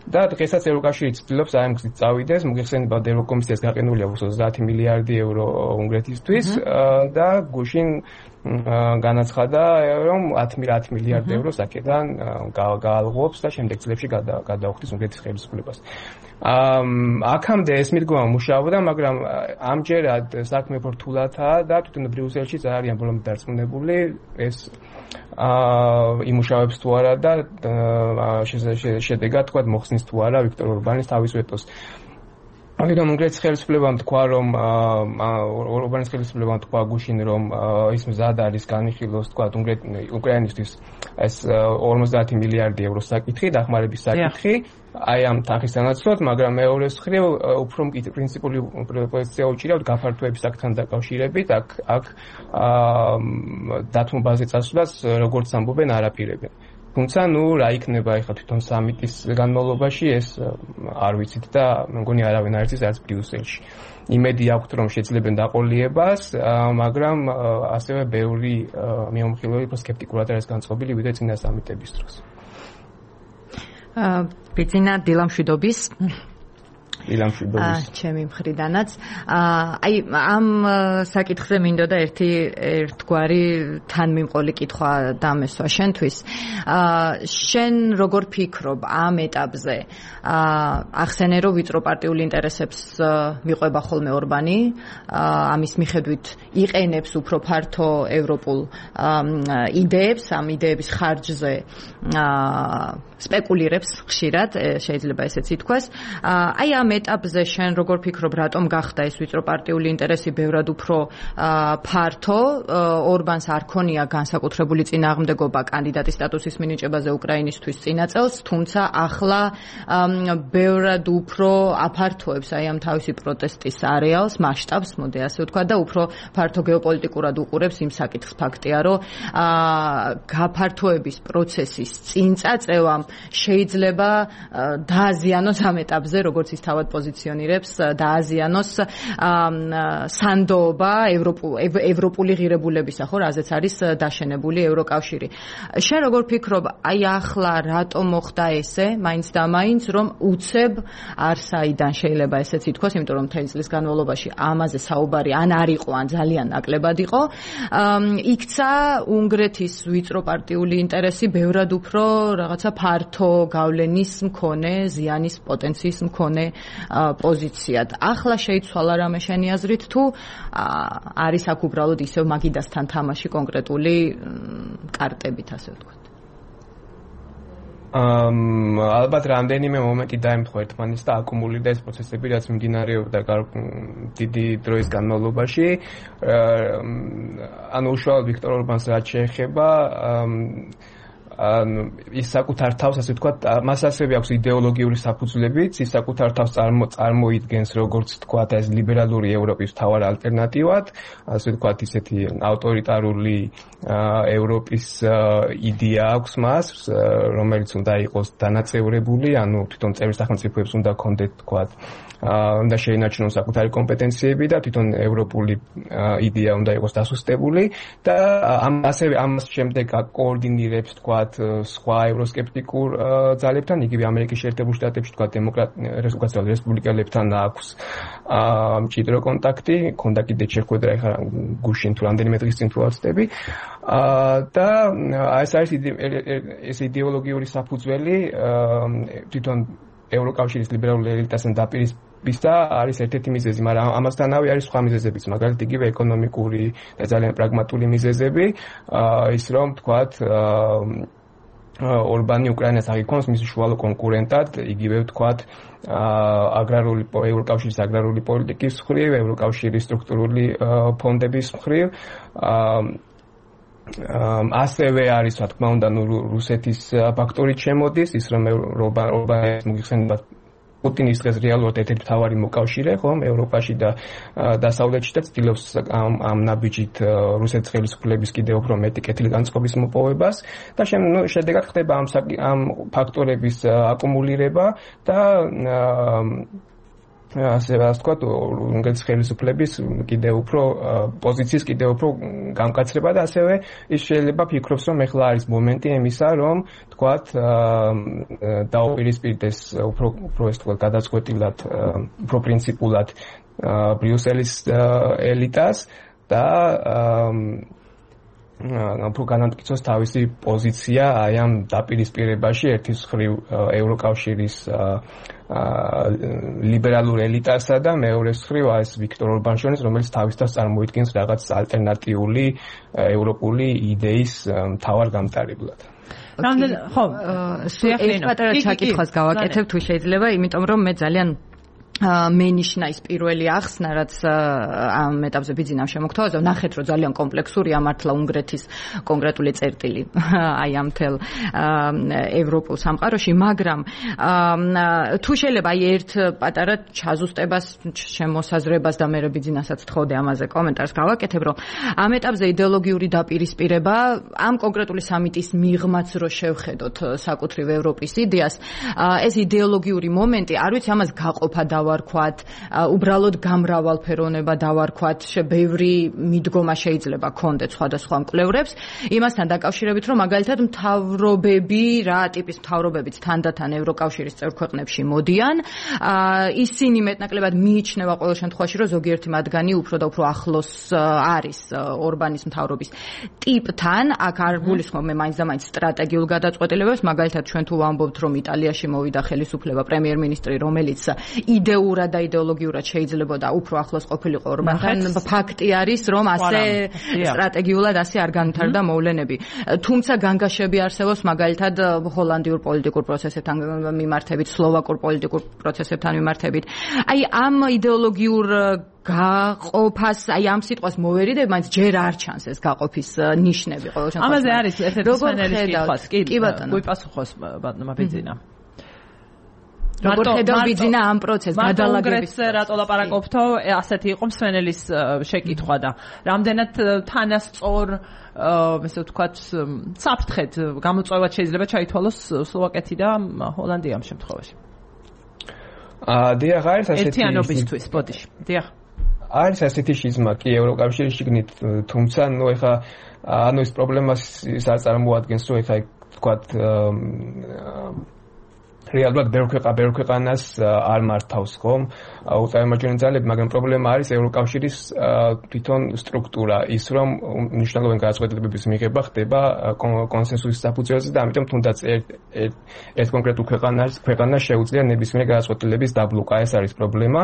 და დღესაც ევროკავშირი ცდილობს ამ გზით წავიდეს. მოგეხსენებათ, ევროკომისიას გაყენულია 30 მილიარდი ევრო უნგრეთისთვის და გუშინ განაცხადა, რომ 10 მილიარდ ევროს აქედან გაალღობს და შემდეგ წლებში გადაუხდის უნგრეთის ხელისუფლებას. აქამდე ეს მიდგომა მუშაობდა, მაგრამ ამჯერად საქმე ფორთულათაა და თვითონ ბრიუსელშიც არიან ბოლომდე დარწმუნებული ეს იმუშავებს თუ არა და შედეგად თქვა მოხსნის თუ არა ვიქტორ ორბანის თავის ვეტოს. ამიტომ უნგრეთის ხელისუფლებამ თქვა, რომ ორბანის ხელისუფლებამ თქვა გუშინ, რომ ის მზად არის განიხილოს თქვა უკრაინისთვის ეს 50 მილიარდი ევრო საკითხი, დახმარების საკითხი, აი ამ თანხის სანაცვლოდ, მაგრამ მეორეს მხრივ უფრო პრინციპული პოზიცია უჭირავთ გაფართოების საკითხთან დაკავშირებით, აქ დათმობაზე წასვლას როგორც ამბობენ არაპირებენ. თუმცა რა იქნება ახლა თვითონ სამიტის განმავლობაში ეს არ ვიცით და მგონი არავინ არ იცის არც ბრიუსელში. იმედი აქვთ რომ შეძლებენ დაყოლიებას, მაგრამ ასევე ბევრი მეომხილველი უფრო სკეპტიკურად არის განწყობილი ვიდრე წინა სამიტების დროს. ბიძინა დილამშვიდობის დილამშვიდობის ჩემი მხრიდანაც აი ამ საკითხზე მინდოდა ერთგვარი თანმიმყოლი კითხვა დამესვა შენთვის შენ როგორ ფიქრობ ამ ეტაპზე ახსენე რომ ვიწრო პარტიული ინტერესებს მიყვება ხოლმე ორბანი ამის მიხედვით იყენებს უფრო ფართო ევროპულ იდეებს ამ იდეების ხარჯზე სპეკულირებს ხშირად შეიძლება ესეც ითქვას აი ამ ეტაპზე შენ როგორ ფიქრობ რატომ გახდა ეს ვიწრო პარტიული ინტერესი ბევრად უფრო ფართო ორბანს არ ქონია განსაკუთრებული წინააღმდეგობა კანდიდატის სტატუსის მინიჭებაზე უკრაინისთვის წინა წელს თუმცა ახლა ბევრად უფრო აფართოებს აი ამ თავისი პროტესტის არეალს მასშტაბს მოდი ასე ვთქვა და უფრო ფართო გეოპოლიტიკურად უყურებს იმ საკითხს ფაქტია რომ გაფართოების პროცესის წინწაწევამ შეიძლება დააზიანოს ამ ეტაპზე როგორც ის თავად პოზიციონირებს დააზიანოს სანდოობა ევროპული ღირებულებისა ხო რაზეც არის დაშენებული ევროკავშირი შენ როგორ ფიქრობ აი ახლა რატომ მოხდა ესე მაინც და მაინც რომ უცებ არსაიდან შეიძლება ესეც ითქვას იმიტომ რომ მთელი წლის განმავლობაში ამაზე საუბარი ან არ იყო ან ძალიან ნაკლებად იყო იქცა უნგრეთის ვიწრო პარტიული ინტერესი ბევრად უფრო რაღაცა ფართო გავლენის მქონე ზიანის პოტენციის მქონე პოზიციად. ახლა შეიცვალა რამე შენი აზრით თუ არის აქ უბრალოდ ისევ მაგიდასთან თამაში კონკრეტული კარტებით ასე ვთქვათ. ალბათ რამდენიმე მომენტი დაემთხვა ერთმანეთს და აკუმულირდა ეს პროცესები რაც მიმდინარეობდა დიდი დროის განმავლობაში. ანუ უშუალოდ ვიქტორ ორბანს რაც შეეხება ის საკუთარ თავს ასე ვთქვათ, მას ასევე აქვს იდეოლოგიური საფუძვლებიც, ის საკუთარ თავს წარმოიდგენს როგორც ვთქვათ, ეს ლიბერალური ევროპის მთავარ ალტერნატივად, ასე ვთქვათ, ისეთი ავტორიტარული ევროპის იდეა აქვს მას, რომელიც უნდა იყოს დანაწევრებული, ანუ თვითონ წევრი სახელმწიფოებს უნდა ჰქონდეთ ვთქვათ, უნდა შეინარჩუნონ საკუთარი კომპეტენციები და თვითონ ევროპული იდეა უნდა იყოს დასუსტებული და ასევე ამას შემდეგ კოორდინირებს ვთქვათ სხვა ევროსკეპტიკურ ძალებთან, იგივე ამერიკის შეერთებულ შტატებში თქვა დემოკრატიულ რესპუბლიკელებთან აქვს მჭიდრო კონტაქტი, ქონდა კიდე შეხვედრა ახლა გუშინ თუ რამდენიმე დღის წინ თუ არ ვცდები და ეს არის ეს იდეოლოგიური საფუძველი თვითონ ევროკავშირის ლიბერალური ელიტასთან დაპირისპირების და არის ერთ-ერთი მიზეზი, მაგრამ ამასთანავე არის სხვა მიზეზებიც, მაგალითად იგივე ეკონომიკური და ძალიან პრაგმატული მიზეზები, ის რომ თქვათ ორბანი უკრაინას აღიქონს მის უშუალო კონკურენტად, იგივე ვთქვათ ევროკავშირის აგრარული პოლიტიკის მხრივ, ევროკავშირის სტრუქტურული ფონდების მხრივ ასევე არის, რა თქმა უნდა, რუსეთის ფაქტორი შემოდის, ის რომ ორბანის მოგიხსენებათ პუტინის დღეს რეალურად ერთ-ერთი მთავარი მოკავშირე, ხომ, ევროპაში და დასავლეთში და ცდილობს ამ ნაბიჯით რუსეთის ხელისუფლების კიდევ უფრო მეტი კეთილი განწყობის მოპოვებას და შედეგად ხდება ამ ფაქტორების აკუმულირება და ასე ვთქვათ, უნგრეთის ხელისუფლების კიდევ უფრო პოზიციის კიდევ უფრო გამკაცრება და ასევე ის შეიძლება ფიქრობს, რომ ეხლა არის მომენტი იმისა, რომ ვთქვათ, დაუპირისპირდეს უფრო ეს თქვა გადაწყვეტილად, უფრო პრინციპულად ბრიუსელის ელიტას და უფრო განამტკიცოს თავისი პოზიცია აი ამ დაპირისპირებაში ერთის მხრივ ევროკავშირის ლიბერალურ ელიტასა და მეორეს მხრივ ეს ვიქტორ ორბანშონის, რომელიც თავის თავს წარმოიდგენს რაღაც ალტერნატიული ევროპული იდეის მთავარ გამტარებლად. ხო, ეს პატარა ჩაკითხვას გავაკეთებ თუ შეიძლება, იმიტომ რომ მე ძალიან მენიშნა ის პირველი ახსნა, რაც ამ ეტაპზე ბიძინამ შემოგთავაზა, ნახეთ რომ ძალიან კომპლექსურია მართლა უნგრეთის კონკრეტული წერტილი აი ამ თელ ევროპულ სამყაროში, მაგრამ თუ შეიძლება აი ერთ პატარა ჩაზუსტებას, შემოსაზრებას და მე ბიძინასაც თხოვდი ამაზე კომენტარს გავაკეთებ, რომ ამ ეტაპზე იდეოლოგიური დაპირისპირება ამ კონკრეტული სამიტის მიღმაც რო შევხედოთ საკუთრივ ევროპის იდეას, ეს იდეოლოგიური მომენტი, არ ვიცი ამას გაყოფა დავარქვათ, უბრალოდ გამრავალფეროვნება დავარქვათ, ბევრი მიდგომა შეიძლება ქონდეთ სხვადასხვა მკვლევრებს, იმასთან დაკავშირებით, რომ მაგალითად მთავრობები, რა ტიპის მთავრობებიც თანდათან ევროკავშირის წევრ ქვეყნებში მოდიან, ისინი მეტნაკლებად მიიჩნევა ყოველ შემთხვევაში, რომ ზოგიერთი მათგანი უფრო და უფრო ახლოს არის ორბანის მთავრობის ტიპთან, აქ არ გულისხმობ მე მაინც და მაინც სტრატეგიულ გადაწყვეტილებებს, მაგალითად ჩვენ თუ ვამბობთ, რომ იტალიაში მოვიდა ხელისუფლება პრემიერ-მინისტრი, რომელიც იდეურად და იდეოლოგიურად შეიძლებოდა უფრო ახლოს ყოფილიყო ორბანთან, ფაქტი არის, რომ ასე სტრატეგიულად ასე არ განვითარდა მოვლენები. თუმცა განგაშები არსებობს მაგალითად ჰოლანდიურ პოლიტიკურ პროცესებთან მიმართებით, სლოვაკურ პოლიტიკურ პროცესებთან მიმართებით. აი ამ იდეოლოგიურ გაყოფას, აი ამ სიტყვას მოვერიდებ, მაინც ჯერ არ ჩანს ეს გაყოფის ნიშნები ყოველ შემთხვევაში. ამაზე არის ერთ-ერთი სპეციალისტის კითხვაც, კი ბატონო. გუიპასუხოს ბატონმა ბიძინა. როგორ ხედავ ბიძინა ამ პროცესს გადალაგების რატო ლაპარაკობთო, ასეთი იყო მსვენელის შეკითხვა და რამდენად თანასწორ ესე ვთქვათ საფრთხედ გამოწვევად შეიძლება ჩაითვალოს სლოვაკეთი და ჰოლანდია ამ შემთხვევაში. დიახ, არის ასეთი ერთიანობისთვის, ბოდიში. დიახ. არის ასეთი შიზმა კი ევროკავშირის შიგნით, თუმცა ნუ ეხა ის პრობლემას ის არ წარმოადგენს, რომ ეხა ვთქვათ რეალურად ბევრ ქვეყანას არ მართავს ხომ უწარმოებიანი ძალები, მაგრამ პრობლემა არის ევროკავშირის თვითონ სტრუქტურა, ის რომ მნიშვნელოვანი გადაწყვეტილებების მიღება ხდება კონსენსუსის საფუძველზე და ამიტომ თუნდაც ერთ კონკრეტულ ქვეყანას შეუძლია ნებისმიერი გადაწყვეტილების დაბლოკა, ეს არის პრობლემა.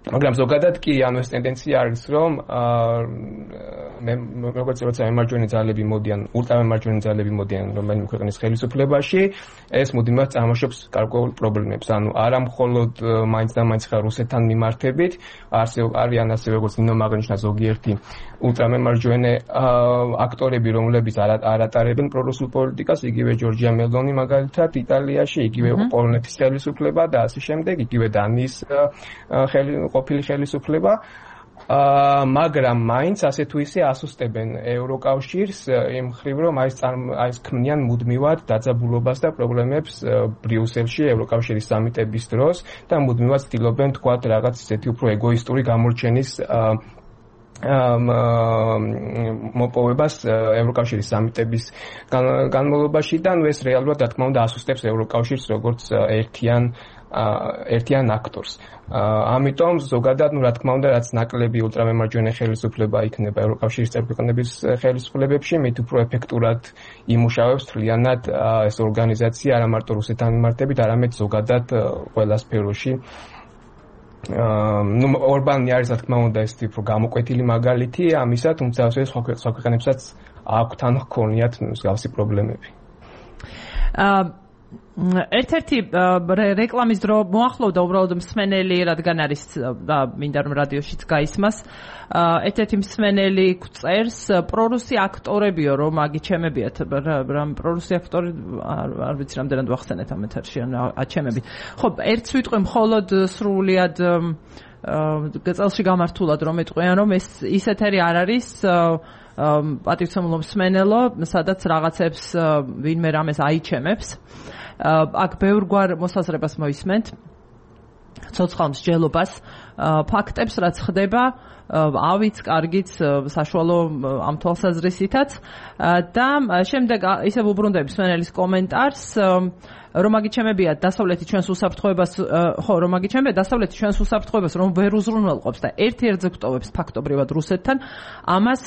მაგრამ ზოგადად კი ეს ტენდენცია არის, რომ როცა ემარჯვენე ძალები მოდიან, ულტრამემარჯვენე ძალები მოდიან რომელიმე ქვეყნის ხელისუფლებაში, ეს მუდმივად წარმოშობს გარკვეულ პრობლემებს. ანუ არა მხოლოდ მაინც და მაინც რუსეთთან მიმართებით, არიან ასე როგორც ნინომ აღნიშნა ზოგიერთი ულტრამემარჯვენე აქტორები, რომლებიც არ ატარებენ პრორუსულ პოლიტიკას, იგივე ჯორჯია მელონი მაგალითად იტალიაში, იგივე პოლონეთის ხელისუფლება და ასე შემდეგ, იგივე დანიის ყოფილი ხელისუფლება, მაგრამ მაინც ასე თუ ისე ასუსტებენ ევროკავშირს იმ მხრივ, რომ ეს ქმნიან მუდმივად დაძაბულობას და პრობლემებს ბრიუსელში ევროკავშირის სამიტების დროს და მუდმივად ცდილობენ თქვათ რაღაც ისეთი უფრო ეგოისტური გამორჩენის მოპოვებას ევროკავშირის სამიტების განმავლობაში და ეს რეალურად რა თქმა უნდა ასუსტებს ევროკავშირს როგორც ერთიან აქტორს. ამიტომ ზოგადად, რა თქმა უნდა, რაც ნაკლები ულტრამემარჯვენე ხელისუფლება იქნება ევროკავშირის წევრ-ქვეყნების ხელისუფლებებში, მით უფრო ეფექტურად იმუშავებს თლიანად ეს ორგანიზაცია არა მარტო რუსეთთან მიმართებით, არამედ ზოგადად ყველა სფეროში. ორბანი არის, რა თქმა უნდა, ეს უფრო გამოკვეთილი მაგალითი ამისა, თუმცა ასევე სხვა ქვეყნებსაც აქვთ ან ჰქონიათ მსგავსი პრობლემები. ერთ-ერთი რეკლამის დრო მოახლოვდა უბრალოდ მსმენელი, რადგან არის და მინდა რომ რადიოშიც გაისმას, ერთ-ერთი მსმენელი წერს პრორუსი აქტორებიო რომ აგიჩემებიათ, პრორუსი აქტორი არ ვიცი რამდენად ვახსენეთ ამ ეთერში, აჩემებით. ხო, ერთს ვიტყვი მხოლოდ სრულიად წელში გამართულად რომ ეტყვიან, რომ ის ეთერი არ არის პატივცემულო მსმენელო, სადაც რაღაცებს ვინმე რამეს აიჩემებს. აქ ბევრგვარ მოსაზრებას მოისმენთ, ცოცხალ მსჯელობას, ფაქტებს, რაც ხდება, ავიც, კარგიც, საშუალო ამ თვალსაზრისითაც და შემდეგ ისევ უბრუნდები მსმენელის კომენტარს, რომ აგიჩემებიათ დასავლეთი ჩვენს უსაფრთხოებას, ხო, რომ აგიჩემებიათ დასავლეთი ჩვენს უსაფრთხოებას, რომ ვერ უზრუნველყოფს და ერთ-ერთზე გვტოვებს ფაქტობრივად რუსეთთან, ამას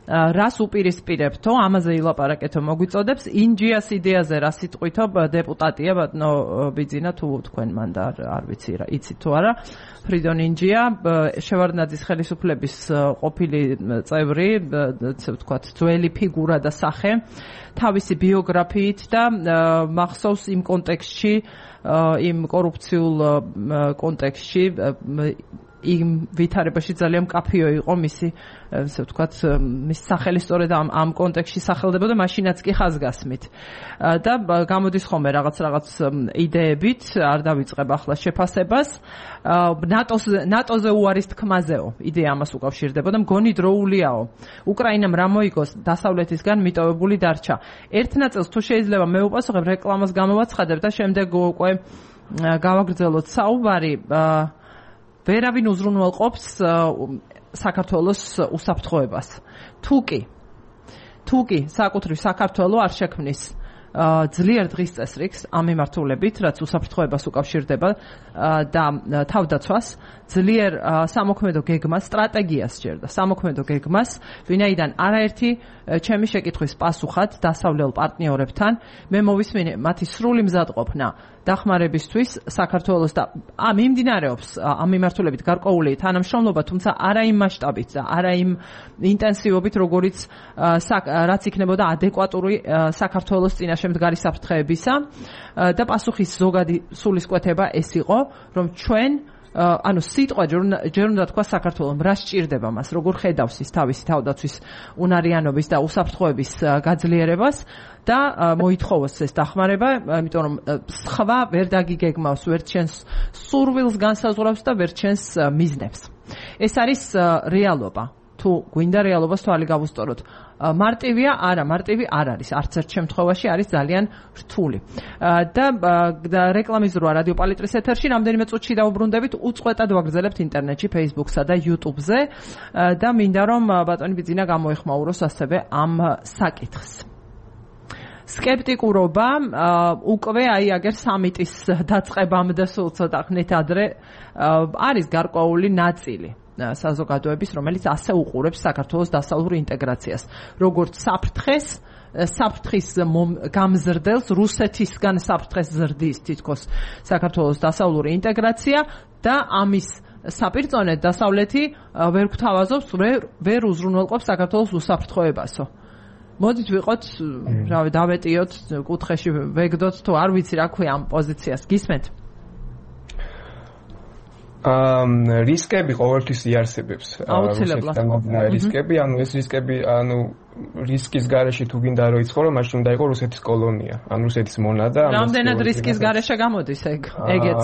რას უპირისპირებთო, ამაზე ილაპარაკეთო მოგვიწოდებს, ინჯიას იდეაზე რა სიტყვითო დეპუტატია ბატონო ბიძინა თუ თქვენ მან და არ ვიცი რა, იცით თუ არა, ფრიდონ ინჯია, შევარდნაძის ხელისუფლების ყოფილი წევრი, ასე ვთქვათ, ძველი ფიგურა და სახე, თავისი ბიოგრაფიით და მახსოვს იმ კონტექსტში, იმ კორუფციულ კონტექსტში იმ ვითარებაში ძალიან მკაფიო იყო მისი, ასე ვთქვათ, მის სახელი სწორედ ამ კონტექსტში სახელდებოდა, მაშინაც კი ხაზგასმით. და გამოდის ხოლმე რაღაც იდეებით, არ დავიწყებ ახლა შეფასებას. ნატოზე უარის თქმაზეო, იდეა ამას უკავშირდებოდა, მგონი დროულიაო. უკრაინამ რა მოიგოს დასავლეთისგან მიტოვებული დარჩა. ერთ ნაწილს თუ შეიძლება მე უპასუხებ, რეკლამას გამოვაცხადებ და შემდეგ უკვე გავაგრძელოთ საუბარი. ვერავინ უზრუნველყოფს საქართველოს უსაფრთხოებას. თუ კი საკუთრივ საქართველო არ შექმნის ძლიერ დღის წესრიგს ამ მიმართულებით, რაც უსაფრთხოებას უკავშირდება და თავდაცვას, ძლიერ სამოქმედო გეგმას, სტრატეგიას სჭირდა, სამოქმედო გეგმას, ვინაიდან არაერთი ჩემი შეკითხვის პასუხად დასავლელ პარტნიორებთან მე მოვისმინე მათი სრული მზადყოფნა დახმარებისთვის საქართველოს და მიმდინარეობს ამ მიმართულებით გარკვეული თანამშრომლობა, თუმცა არა იმ მასშტაბით და არა იმ ინტენსივობით, როგორც რაც იქნებოდა ადეკვატური საქართველოს წინაშე მდგარი საფრთხეებისა და პასუხის ზოგადი სულისკვეთება ეს იყო, რომ ჩვენ ანუ სიტყვა ჯერ უნდა თქვა საქართველოს რა სჭირდება მას, როგორ ხედავს ის თავისი თავდაცვის უნარიანობის და უსაფრთხოების გაძლიერებას და მოითხოვოს ეს დახმარება, იმიტომ რომ სხვა ვერ დაგიგეგმავს, ვერ ჩენს სურვილს განსაზღვრავს და ვერ ჩენს მიზნებს. ეს არის რეალობა. თუ გვინდა რეალობას თვალი გავუსწოროთ. მარტივია, არა, მარტივი არ არის. არც ერთ შემთხვევაში არის ძალიან რთული. და რეკლამის როა რადიო პალიტრის ეთერში რამდენიმე წუთში დაუბრუნდებით, უწყვეტად ვაგრძელებთ ინტერნეტში, Facebook-სა და YouTube-ზე და მინდა რომ ბატონი ბიძინა გამოეხმაუროს ასევე ამ საკითხს. სკეპტიკურობა უკვე აგერ სამიტის დაწყებამდე სულ ცოტა ხნით ადრე არის გარკვეული ნაწილი საზოგადოების, რომელიც ასე უყურებს საქართველოს დასავლურ ინტეგრაციას, როგორც საფრთხის გამზრდელს, რუსეთისგან საფრთხეს ზრდის თითქოს საქართველოს დასავლური ინტეგრაცია და ამის საპირწონედ დასავლეთი ვერ გვთავაზობს, ვერ უზრუნველყოფს საქართველოს უსაფრთხოებასო. მოდით ვიყოთ, რავი, დავეტიოთ კუთხეში, ვეგდოთ თუ არ ვიცი რა ქვია ამ პოზიციას. გისმენთ? რისკები ყოველთვის იარსებებს. აუცილებლად. რისკები, ანუ ეს რისკები, ანუ რისკის გარეშე თუ გინდა რომ იცხოვრო, მაშინ უნდა იყოს რუსეთის კოლონია, ან რუსეთის მონადა. რამდენად რისკის გარეშე გამოდის ეგეც?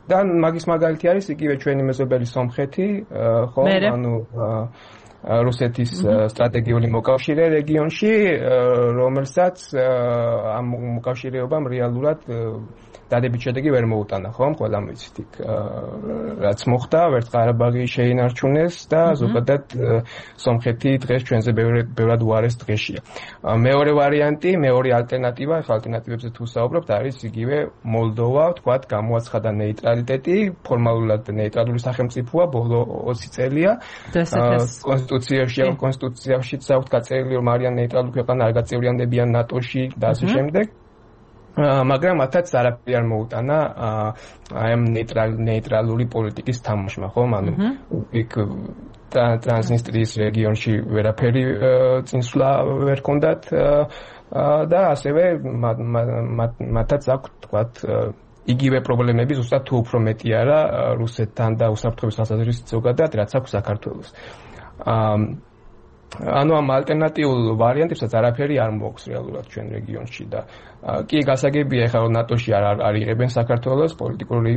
და მაგის მაგალითი არის იგივე ჩვენი მეზობელი სომხეთი, ხო, ანუ რუსეთის სტრატეგიული მოკავშირე რეგიონში, რომელსაც ამ მოკავშირეობამ რეალურად დადებით შედეგი ვერ მოუტანა, ხო? ყველამ ვიცით იქ რაც მოხდა, ვერც ყარაბაღი შეინარჩუნეს და ზოგადად სომხეთი დღეს ჩვენზე ბევრად უარეს დღეშია. მეორე ვარიანტი, მეორე ალტერნატივა, ახლა ალტერნატივებზე თუ საუბრობთ, არის იგივე მოლდოვა, თქვათ, გამოაცხადა ნეიტრალიტეტი, ფორმალურად ნეიტრალური სახელმწიფოა, ბოლო 20 წელია. კონსტიტუციაშიც აქვს გაწერილი, რომ არიან ნეიტრალური ქვეყანა, არ გაწევრიანდებიან ნატოში და ასე შემდეგ. მაგრამ მათაც არაფერი არ მოუტანა ამ ნეიტრალური პოლიტიკის თამაშმა, ხო? ანუ იქ ტრანსნისტრიის რეგიონში ვერაფერი წინსვლა ვერ ჰქონდათ და ასევე მათაც აქვს, თქვათ, იგივე პრობლემები, ზუსტად თუ უფრო მეტი არა რუსეთთან და უსაფრთხოების თვალსაზრისით ზოგადად, რაც აქვს საქართველოს. ანუ ამ ალტერნატიულ ვარიანტებსაც არაფერი არ მოაქვს რეალურად ჩვენ რეგიონში და კი გასაგებია ახლა რომ ნატოში არ იღებენ საქართველოს პოლიტიკური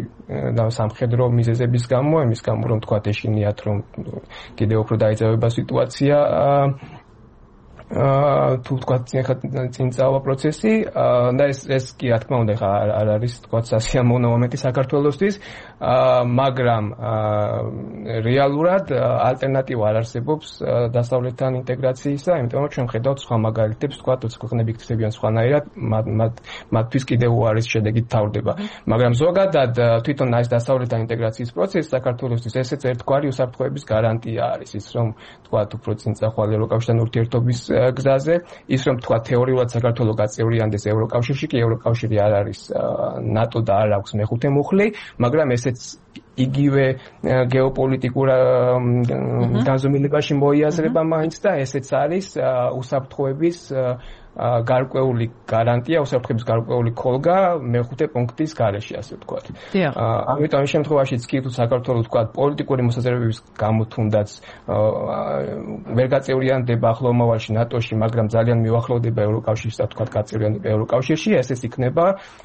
და სამხედრო მიზეზების გამო, იმის გამო რომ თქვათ ეშინიათ რომ კიდევ უფრო დაიძაბება სიტუაცია თუ თქვა წინ წავა პროცესი და ეს კი რა თქმა უნდა არ არის თქვა სასიამოვნო მომენტი საქართველოსთვის მაგრამ რეალურად ალტერნატივა არ არსებობს დასავლეთთან ინტეგრაციისა იმიტომ რომ ჩვენ ხედავთ სხვა მაგალითებს თქვა თუც ქვეყნები იქცევიან სხვანაირად მათთვის კიდევ უარის შედეგით თავდება მაგრამ ზოგადად თვითონ ეს დასავლეთთან ინტეგრაციის პროცესი საქართველოსთვის ესეც ერთგვარი უსაფრთხოების გარანტია არის ის რომ თქვა უფრო წინ წახვალ ევროკავშირთან ურთიერთობის გზაზე ის რომ თქვა თეორიულად საქართველოს გაწევრიანდეს ევროკავშირში კი ევროკავშირი არ არის ნატო და არ აქვს მეხუთე მუხლი მაგრამ ესეც იგივე გეოპოლიტიკურ განზომილებაში მოიაზრება მაინც და ესეც არის უსაფრთხოების გარკვეული გარანტია, უსაფრთხოების გარკვეული ქოლგა მეხუთე პუნქტის გარეშე, ასე ვთქვათ. ამიტომ ამ შემთხვევაშიც კი თუ საქართველოს ვთქვათ პოლიტიკური მოსაზრებების გამო თუნდაც ვერ გაწევრიანდება ახლო მომავალში ნატოში, მაგრამ ძალიან მიუახლოვდება ევროკავშირს და ვთქვათ გაწევრიანდება ევროკავშირში, ესეც იქნება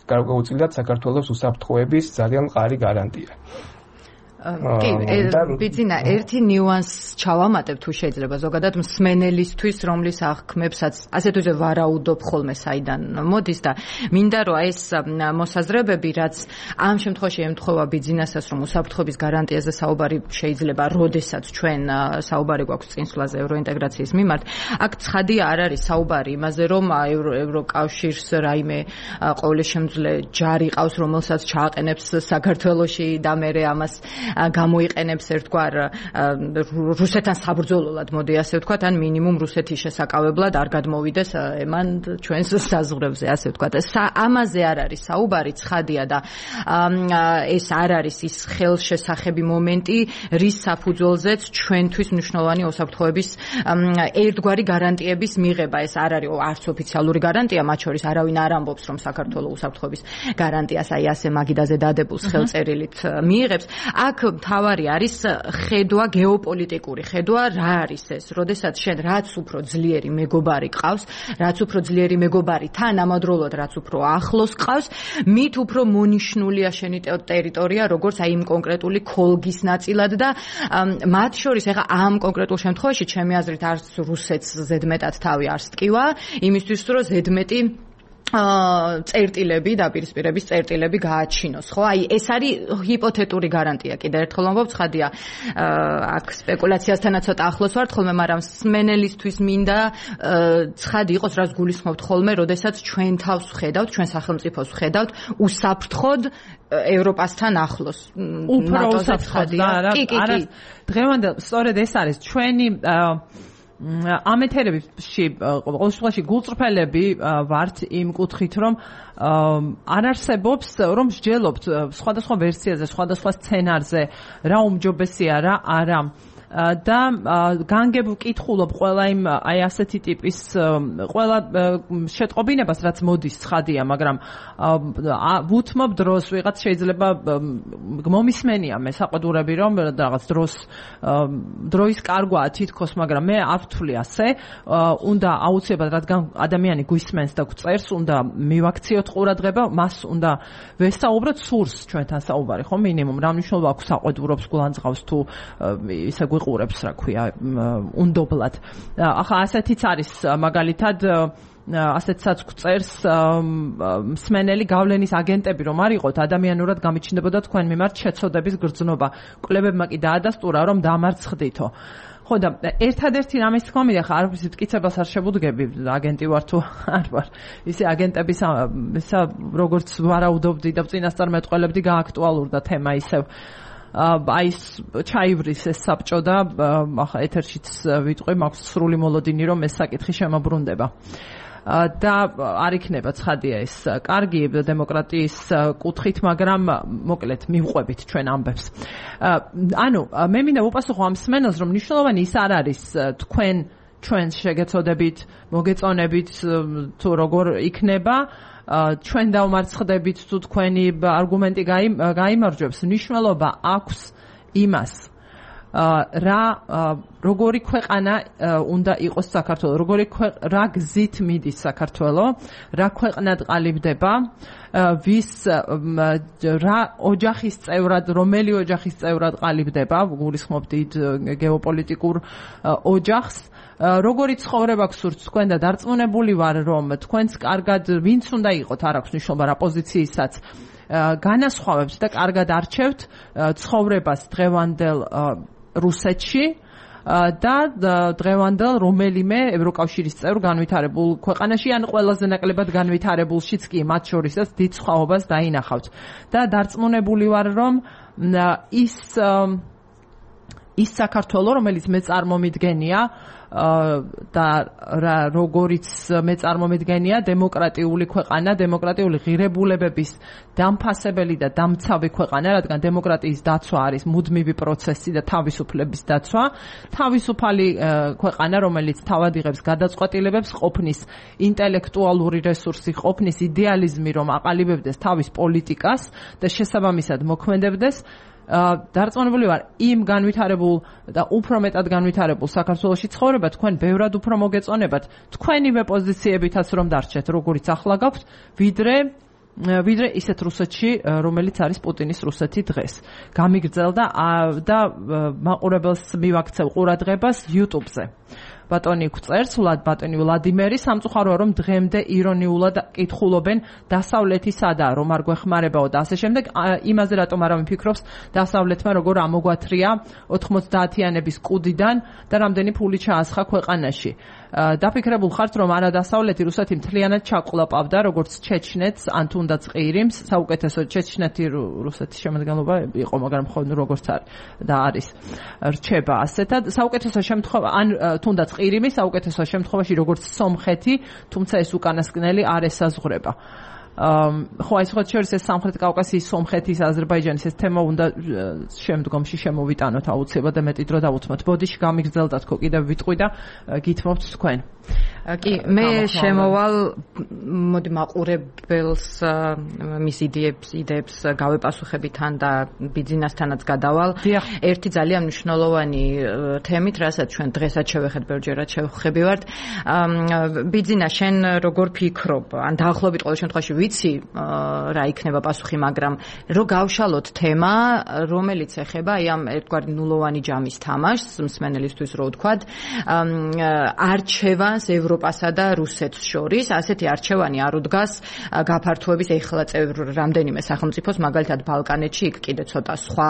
გარკვეულწილად საქართველოს უსაფრთხოების ძალიან მყარი გარანტია. კი, ბიძინა, ერთი ნიუანს ჩავამატებ თუ შეიძლება ზოგადად მსმენელისთვის, რომლის აღქმებსაც ასეთ უზე ვარაუდობ ხოლმე საიდან მოდის და მინდა რომ ეს მოსაზრებები, რაც ამ შემთხვევაში ემთხვევა ბიძინასაც, რომ უსაფრთხოების გარანტიაზე საუბარი შეიძლება, როდესაც ჩვენ საუბარი გვაქვს წინსვლაზე ევროინტეგრაციის მიმართ, აქ ცხადია არ არის საუბარი იმაზე, რომ ევროკავშირს რაიმე ყოვლისშემძლე ჯარი ყავს, რომელსაც ჩააყენებს საქართველოში და მერე ამას გამოიყენებს ერთგვარ რუსეთთან საბრძოლოდ, მოდი ასე ვთქვათ, ან მინიმუმ რუსეთის შესაკავებლად არ გადმოვიდეს ემან ჩვენს საზღვრებზე, ასე ვთქვათ. ამაზე არ არის საუბარი, ცხადია და ეს არ არის ის ხელშესახები მომენტი, რის საფუძველზეც ჩვენთვის მნიშვნელოვანი უსაფრთხოების ერთგვარი გარანტიების მიღება. ეს არ არის არც ოფიციალური გარანტია, მათ შორის არავინ არ ამბობს, რომ საქართველოს უსაფრთხოების გარანტიას აი ასე მაგიდაზე დადებულს ხელწერილით მიიღებს. აქ თავარი არის ხედვა გეოპოლიტიკური ხედვა რა არის ეს როდესაც შენ რაც უფრო ძლიერი მეგობარი ყავს რაც უფრო ძლიერი მეგობარი თან ამავდროულად რაც უფრო ახლოს ყავს მით უფრო მონიშნულია შენი ტერიტორია როგორც აი იმ კონკრეტული ქოლგის ნაწილად და მათ შორის ეხა ამ კონკრეტულ შემთხვევაში ჩემი აზრით არც რუსეთს ზედმეტად თავი არ სტკივა იმისთვის რომ ზედმეტი წერტილები და პირისპირების წერტილები გააჩინოს, ხო? აი ეს არის ჰიპოთეტური გარანტია. კიდევ ერთხელ ვამბობ, ცხადია, აქ სპეკულაციასთანაც ცოტა ახლოს ვართ ხოლმე, მაგრამ სმენელისთვის მინდა ცხადი იყოს, რაც გულისხმობთ ხოლმე, როდესაც ჩვენ თავს ვხედავთ, ჩვენ სახელმწიფოს ვხედავთ, უსაფრთხოდ ევროპასთან ახლოს. უფრო უსაფრთხოდ და არა. დღევანდელ სწორედ ეს არის ჩვენი ამ ეთერებში ყოველ შემთხვევაში გულწრფელები ვართ იმ კუთხით რომ არ არსებობს რომ მსჯელობთ სხვადასხვა ვერსიაზე, სხვადასხვა სცენარზე რა უმჯობესია რა არა და განგებ ვკითხულობ ყველა იმ აი ასეთი ტიპის ყველა შეტყობინებას რაც მოდის ცხადია მაგრამ ვუთმობ დროს ვიღაც შეიძლება მომისმენია მე საყდურები რომ რაღაც დროის კარგვაა თითქოს მაგრამ მე არ ვთვლი ასე უნდა აუცილებლად რადგან ადამიანი გვისმენს და გვწერს უნდა მივაქციოთ ყურადღება მას უნდა ვესაუბროთ სურს ჩვენთან საუბარი ხო მინიმუმ რა მნიშვნელობა აქვს საყდურობს გულანძღავს თუ ისე ყურებს რა ქვია უნდობლად ახლა ასეთიც არის მაგალითად ასეთსაც გვწერს მსმენელი გავლენის აგენტები რომ არ იყოთ ადამიანურად გამიჩნდებოდა თქვენ მიმართ შეცოდების გრძნობა კვლევებმა კი დაადასტურა რომ დამარცხდითო ხო და ერთადერთი რამის თქმა მინდა ხა არ ვიცი მტკიცებას არ შეგუდგები აგენტი ვარ თუ არ ვარ ისე აგენტების ისა როგორც ვარაუდობდი და წინასწარ მეტყველებდი გააქტუალურდა თემა ისევ აი ჩაივრის ეს საბჭო და ახლა ეთერშიც ვიტყვი მაქვს სრული მოლოდინი რომ ეს საკითხი შემოbrunდება და არ იქნება ცხადია ეს კარგი დემოკრატიის კუთხით მაგრამ მოკლედ მივყვებით ჩვენ ამბებს ანუ მე მინდა ვუპასუხო ამ სმენელს რომ მნიშვნელოვანი ის არ არის თქვენ ჩვენ შეგეცოდებით მოგეწონებით თუ როგორ იქნება ჩვენ დავმარცხდებით თუ თქვენი არგუმენტი გაიმარჯვებს მნიშვნელობა აქვს იმას როგორი ქვეყანა უნდა იყოს საქართველო, რა გზით მიდის საქართველო, რა ქვეყნად ყალიბდება, რა ოჯახის წევრად, რომელი ოჯახის წევრად ყალიბდება, გულისხმობ დიდ გეოპოლიტიკურ ოჯახს, როგორი ცხოვრება გსურთ თქვენ და დარწმუნებული ვარ, რომ თქვენს კარგად ვინც უნდა იყოთ, არ აქვს მნიშვნელობა რა პოზიციისაც განასხვავებთ და კარგად არჩევთ ცხოვრებას დღევანდელ რუსეთში და დღევანდელ რომელიმე ევროკავშირის წევრ განვითარებულ ქვეყანაში ან ყველაზე ნაკლებად განვითარებულშიც კი მათ შორისაც დიდ სხვაობას დაინახავთ და დარწმუნებული ვარ რომ ის საქართველო რომელიც მე წარმომიდგენია და როგორიც მე წარმომიდგენია დემოკრატიული ქვეყანა, დემოკრატიული ღირებულებების დამფასებელი და დამცავი ქვეყანა, რადგან დემოკრატიის დაცვა არის მუდმივი პროცესი და თავისუფლების დაცვა, თავისუფალი ქვეყანა, რომელიც თავად იღებს გადაწყვეტილებებს, ყოფნის ინტელექტუალური რესურსი, ყოფნის იდეალიზმი, რომ აყალიბებდეს თავის პოლიტიკას და შესაბამისად მოქმედებდეს დარწმუნებული ვარ იმ განვითარებულ და უფრო მეტად განვითარებულ საქართველოში ცხოვრება თქვენ ბევრად უფრო მოგეწონებათ თქვენივე პოზიციებითაც რომ დარჩეთ როგორიც ახლა გაქვთ ვიდრე ისეთ რუსეთში რომელიც არის პუტინის რუსეთი დღეს გამიგრძელდა და მაყურებელს მივაქცევ ყურადღებას YouTube-ზე ბატონი გვწერს ბატონი ვლადიმერი სამწუხაროა რომ დღემდე ირონიულად კითხულობენ დასავლეთი სადაა რომ არ გვეხმარებაო და ასე შემდეგ იმაზე რატომ არ ამიფიქრობს დასავლეთმა როგორ ამოგვათრია 90-იანების კუდიდან და რამდენი ფული ჩაასხა ქვეყანაში დაფიქრებულ ხართ რომ არა დასავლეთი რუსეთი მთლიანად ჩაყლაპავდა როგორც ჩეჩნეთს ან თუნდაც ყირიმს საუკეთესო ჩეჩნეთი რუსეთის შემადგენლობა იყო მაგრამ ხო როგორც არის და არის რჩება ასეთად საუკეთესო შემთხვევა ან თუნდაც ყირიმი საუკეთესო შემთხვევაში როგორც სომხეთი თუმცა ეს უკანასკნელი არ ესაზღვრება ხო აი სხვა შორის ეს სამხრეთ კავკასიის სომხეთის აზერბაიჯანის ეს თემა უნდა შემდგომში შემოვიტანოთ აუცილებლად და მეტი დრო დავუთმოთ ბოდიში გამიგრძელდა თქო კიდევ ვიტყვი და გითმობთ თქვენ კი მე შემოვალ მოდი მაყურებელს მის იდეებს გავეპასუხები თან და ბიძინასთანაც გადავალ ერთი ძალიან მნიშვნელოვანი თემით რასაც ჩვენ დღესაც შევეხეთ ბევრჯერად შევხვდებივართ ბიძინა შენ როგორ ფიქრობ ან დაახლოებით ყოველ შემთხვევაში ვიცი რა იქნება პასუხი მაგრამ რო გავშალოთ თემა რომელიც ეხება აი ამ ერთგვარი ნულოვანი ჯამის თამაშს მსმენელისთვის რო ვთქვათ არჩევანს ევროპასა და რუსეთს შორის ასეთი არჩევანი არ უდგას გაფართოების ეხლა წევრ რამდენიმე სახელმწიფოს მაგალითად ბალკანეთში იქ კიდე ცოტა სხვა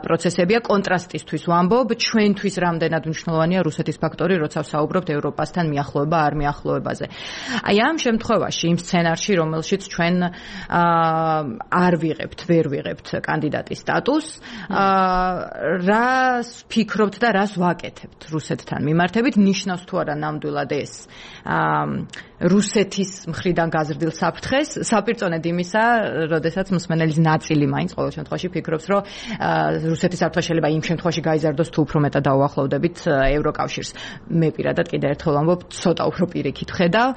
პროცესებია კონტრასტისთვის ვამბობ ჩვენთვის რამდენად მნიშვნელოვანია რუსეთის ფაქტორი როცა ვსაუბრობთ ევროპასთან მიახლოება არ მიახლოებაზე აი ამ შემთხვევაში იმ სცენარში რომელშიც ჩვენ ვერ ვიღებთ კანდიდატის სტატუსს რას ფიქრობთ და რას ვაკეთებთ რუსეთთან მიმართებით ნიშნავს თუ არა ნამდვილად ეს რუსეთის მხრიდან გაზრდილ საფრთხეს საპირწონედ იმისა, როდესაც მსმენელის ნაწილი მაინც ყოველ შემთხვევაში ფიქრობს, რომ რუსეთის საფრთხე შეიძლება იმ შემთხვევაში გაიზარდოს თუ უფრო მეტად დაუახლოვდებით ევროკავშირს. მე პირადად კიდევ ერთხელ ვამბობ, ცოტა უფრო პირიქით ვხედავ.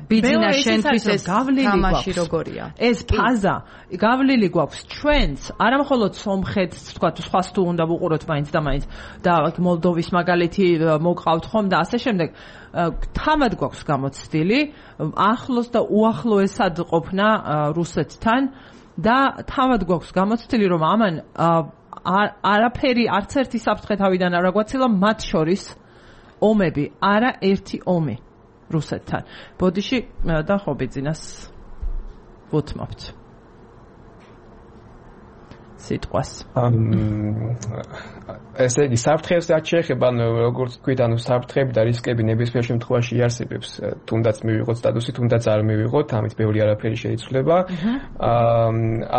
ბიძინა შენთვის ეს თამაში როგორია? ეს ფაზა გავლილი გვაქვს ჩვენც, არა მხოლოდ სომხეთს, თქვა სხვას თუ უნდა ვუყუროთ მაინც და მაინც და მოლდოვის მაგალითი მოგყავთ ხომ და ასე შემდეგ. თავად გვაქვს გამოცდილი ახლოს და უახლოესად ყოფნა რუსეთთან და თავად გვაქვს გამოცდილი რომ ამან არაფერი არც ერთი საფრთხე თავიდან არ აგვაცილა მათ შორის ომები არა ერთი ომი რუსეთთან ბოდიში და ხობიძინას ვუთმობთ სიტყვას ესე იგი საფრთხეს რაც შეეხება როგორც თქვით ანუ საფრთხები და რისკები ნებისმიერ შემთხვევაში იარსებებს თუნდაც მივიღოთ სტატუსი თუნდაც არ მივიღოთ ამით ბევრი არაფერი შეიცვლება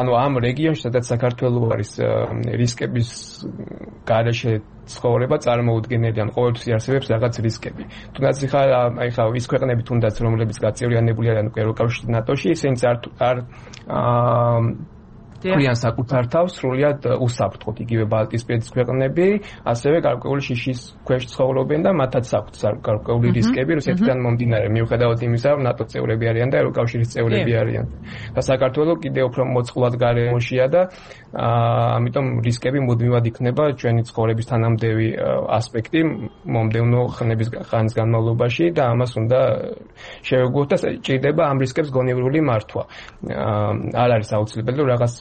ანუ ამ რეგიონში სადაც საქართველო არის რისკების გარეშე ცხოვრება წარმოუდგენელი ან ყოველთვის იარსებებს რაღაც რისკები თუნდაც ხა ის ქვეყნები თუნდაც რომლებიც გაწევრიანებული არიან ევროკავშირში ნატოში ისინიც არ ქვიან საკუთარ თავს სრულიად უსაფრთხოდ იგივე ბალტიისპირეთის ქვეყნები, ასევე გარკვეული შიშის ქვეშ ცხოვრობენ და მათაც აქვთ გარკვეული რისკები რუსეთიდან მომდინარე, მიუხედავად იმისა, რომ ნატოს წევრები არიან და ევროკავშირის წევრები არიან. და საქართველოს კიდევ უფრო მოწყვლად გარემოშია და ამიტომ რისკები მუდმივად იქნება ჩვენი ცხოვრების თანამდები ასპექტი მომდევნო ხანის განმავლობაში და ამას უნდა შევეგუოთ და ჭირდება ამ რისკებს გონივრული მართვა. არ არის აუცილებელი რომ რაღაც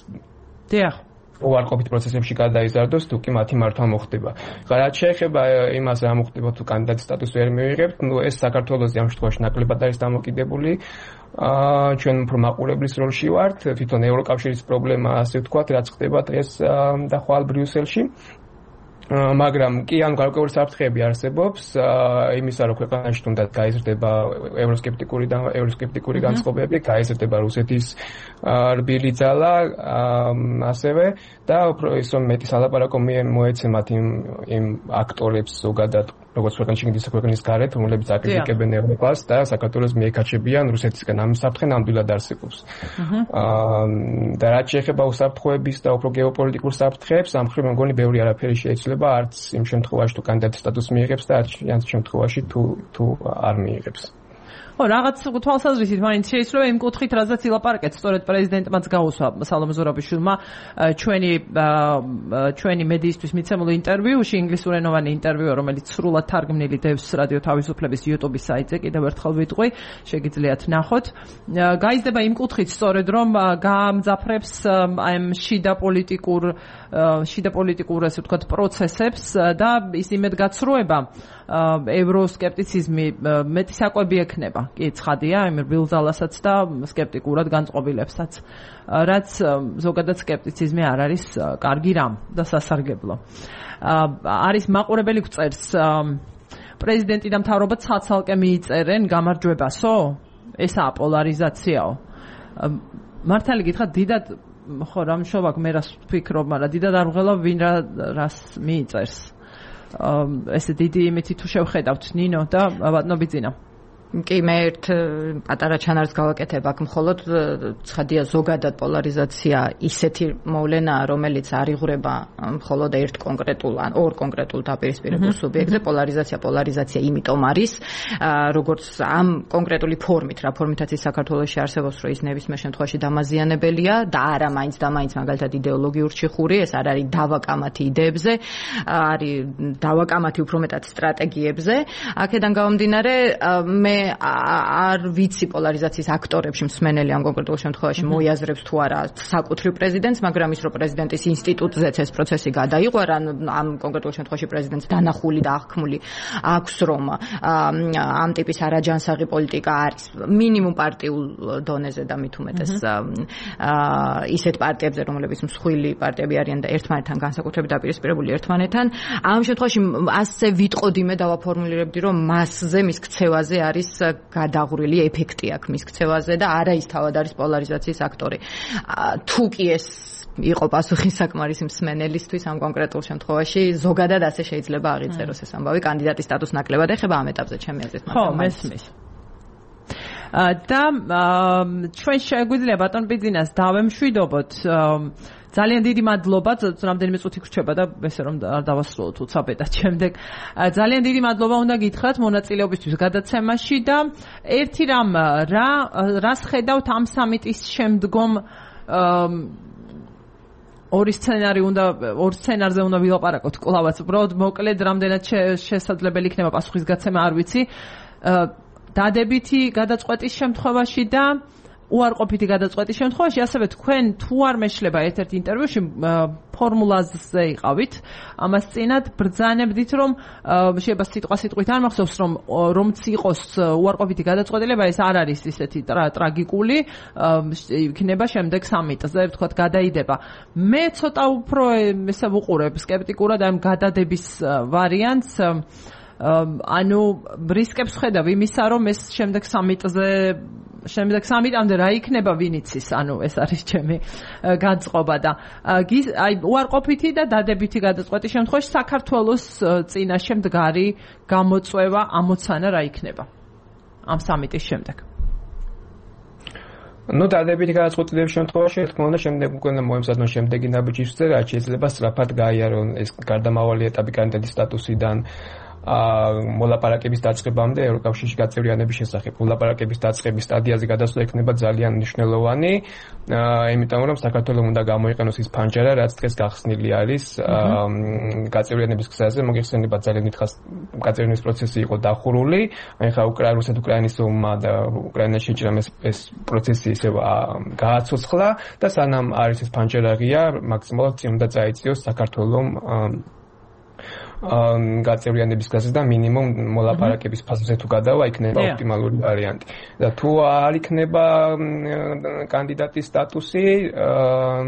უარყოფით პროცესებში გადაიზარდოს თუ კი მათი მართვა მოხდება. რაც შეეხება იმას რა მოხდება თუ კანდიდატის სტატუსი ვერ მივიღებთ, ეს საქართველოს ამ შემთხვევაში ნაკლებად არის დამოკიდებული. ჩვენ უფრო მაყურებლის როლში ვართ, თვითონ ევროკავშირის პრობლემა ასე ვთქვათ, რაც ხდება დღეს და ხვალ ბრიუსელში. მაგრამ კი ან გარკვეული საფრთხეები არსებობს იმისა რომ ქვეყანაში თუნდაც გაიზრდება ევროსკეპტიკური განწყობები, გაიზრდება რუსეთის რბილი ძალა, ასევე და უფრო ის რომ მეტი სალაპარაკო მოეცემათ იმ აქტორებს ზოგადად როგორც ქვეყნის შიგნით ისე ქვეყნის გარეთ, რომლებიც აკრიტიკებენ ევროპას და საქართველოს მიეკაჩებიან რუსეთისგან. ამის საფრთხე ნამდვილად არსებობს. და რაც შეეხება უსაფრთხოების და უფრო გეოპოლიტიკურ საფრთხეებს, ამ მხრივ მეგონი ბევრი არაფერი შეიძლება არც იმ შემთხვევაში თუ კანდიდატის სტატუსს მიიღებს და არც იმ შემთხვევაში თუ არ მიიღებს. რაღაც თვალსაზრისით მაინც შეიძლება იმ კუთხით რაზეც ილაპარაკეთ, სწორედ პრეზიდენტმაც გაუსვა სალომე ზურაბიშვილმა ჩვენი მედიისთვის მიცემულ ინტერვიუში, ინგლისურენოვანი ინტერვიუ, რომელიც სრულად თარგმნილი დევს რადიო თავისუფლების YouTube-ის საიტზე, კიდევ ერთხელ ვიტყვი, შეგიძლიათ ნახოთ. გაიზრდება იმ კუთხით სწორედ რომ გაამძაფრებს ამ შიდა პოლიტიკურ ასე ვთქვათ პროცესებს და ის იმედგაცრუება ევროსკეპტიციზმი მეტი საკვები ექნება. კი, ცხადია, იმ რბილ ძალასაც და სკეპტიკურად განწყობილებსაც, რაც ზოგადად სკეპტიციზმი არ არის კარგი რამ და სასარგებლო. არის მაყურებელი გვწერს პრეზიდენტი და მთავრობა ცალ-ცალკე მიიწერენ გამარჯვებასო? ესაა პოლარიზაციაო? მართალი გითხრათ, დიდად ხო რამშოვაკ მე რას ვფიქრობ, მაგრამ დიდად არ ვღელავ ვინ რას მიიწერს. ესე დიდი იმითი თუ შევხედავთ ნინო და ბატონო ბიძინა. კი, მე ერთ პატარა ჩანარს გავაკეთებ აქ, მხოლოდ ცხადია ზოგადად პოლარიზაცია ისეთი მოვლენაა, რომელიც არ იღვრება მხოლოდ ერთ კონკრეტულ ან ორ კონკრეტულ დაპირისპირებულ სუბიექტზე. პოლარიზაცია იმიტომ არის, როგორც ამ კონკრეტული ფორმით, რა ფორმითაც ის საქართველოში არსებობს, რომ ის ნებისმიერ შემთხვევაში დამაზიანებელია და არა მაინც და მაინც მაგალითად იდეოლოგიურ ჩიხური, ეს არ არის დავაკამათი იდეებზე, არის დავაკამათი უფრო მეტად სტრატეგიებზე. აქედან გამომდინარე, მე არ ვიცი პოლარიზაციის აქტორებში მსმენელი ამ კონკრეტულ შემთხვევაში მოიაზრებს თუ არა საკუთრივ პრეზიდენტს, მაგრამ ის რომ პრეზიდენტის ინსტიტუტზეც ეს პროცესი გადაიყვარა, ამ კონკრეტულ შემთხვევაში პრეზიდენტს დანახული და აღქმული აქვს, რომ ამ ტიპის არაჯანსაღი პოლიტიკა არის მინიმუმ პარტიულ დონეზე და მით უმეტეს ისეთ პარტიებზე, რომლებიც მსხვილი პარტიები არიან და ერთმანეთთან განსაკუთრებით დაპირისპირებული ერთმანეთთან. ამ შემთხვევაში ასე ვიტყოდი, მე დავაფორმულირებდი, რომ მასზე, მის ქცევაზე არის გადაღვრილი ეფექტი აქვს მის ქცევაზე და არა ის თავად არის პოლარიზაციის აქტორი. თუ კი ეს იყო პასუხი საკმარისი მსმენელისთვის ამ კონკრეტულ შემთხვევაში, ზოგადად ასე შეიძლება აღიწეროს ეს ამბავი. კანდიდატის სტატუსს ნაკლებად ეხება ამ ეტაპზე ჩემი აზრით. ხო, მესმის. და ჩვენ შეგვიძლია ბატონ ბიძინას დავემშვიდობოთ. ძალიან დიდი მადლობა, რამდენიმე წუთი გრჩება და ესე რომ არ დავასრულოთ უცაბედად შემდეგ. ძალიან დიდი მადლობა უნდა გითხრათ მონაწილეობისთვის გადაცემაში და ერთი რამ რას ხედავთ ამ სამიტის შემდგომ ორ სცენარზე უნდა ვილაპარაკოთ კლავაც. უბრალოდ მოკლედ რამდენად შესაძლებელი იქნება პასუხისგაცემა არ ვიცი. დადებითი გადაწყვეტის შემთხვევაში და უარყოფითი გადაწყვეტის შემთხვევაში, ასევე თქვენ თუ არ მეშლება ერთ-ერთ ინტერვიუში ფორმულაზე იყავით, ამას წინათ ბრძანებდით, რომ შეიძლება სიტყვით არ მახსოვს, რომც იყოს უარყოფითი გადაწყვეტილება, ეს არ არის ისეთი ტრაგიკული, იქნება შემდეგ სამიტზე, ვთქვათ, გადაიდება. მე ცოტა უფრო ესე ვუყურებ სკეპტიკურად ამ გადადების ვარიანტს. ანუ რისკებს ხედავ იმისა, რომ ეს შემდეგ სამიტამდე რა იქნება ვინ იცის, ანუ ეს არის ჩემი განწყობა და აი უარყოფითი და დადებითი გადაწყვეტის შემთხვევაში საქართველოს წინაშე მდგარი გამოწვევა ამოცანა რა იქნება ამ სამიტის შემდეგ. ნუ დადებითი გადაწყვეტილების შემთხვევაში თქმა უნდა შემდეგ უკვე მოემზადონ შემდეგი ნაბიჯისზე რაც შეიძლება სწრაფად გაიარონ ეს გარდამავალი ეტაპი კანდიდატის სტატუსიდან მოლაპარაკების დაწყებამდე ევროკავშირში გაწევრიანების შესახებ. მოლაპარაკების დაწყების სტადიაზე გადასვლა იქნება ძალიან მნიშვნელოვანი, იმიტომ რომ საქართველოს უნდა გამოიყენოს ის ფანჯარა, რაც დღეს გახსნილი არის გაწევრიანების გზაზე. მოგეხსენება ძალიან დიდხანს გაწევრიანების პროცესი იყო დახურული. ახლა რუსეთ-უკრაინის ომმა და უკრაინაში შეჭრამ ეს პროცესი ისევ გააცოცხლა და სანამ არის ეს ფანჯარა ღია, მაქსიმალურად წინ უნდა წაიწიოს საქართველოს გაწევრიანების გზაზე და მინიმუმ მოლაპარაკების ფაზაზე თუ გადავა იქნება ოპტიმალური ვარიანტი. და თუ არ იქნება კანდიდატის სტატუსი,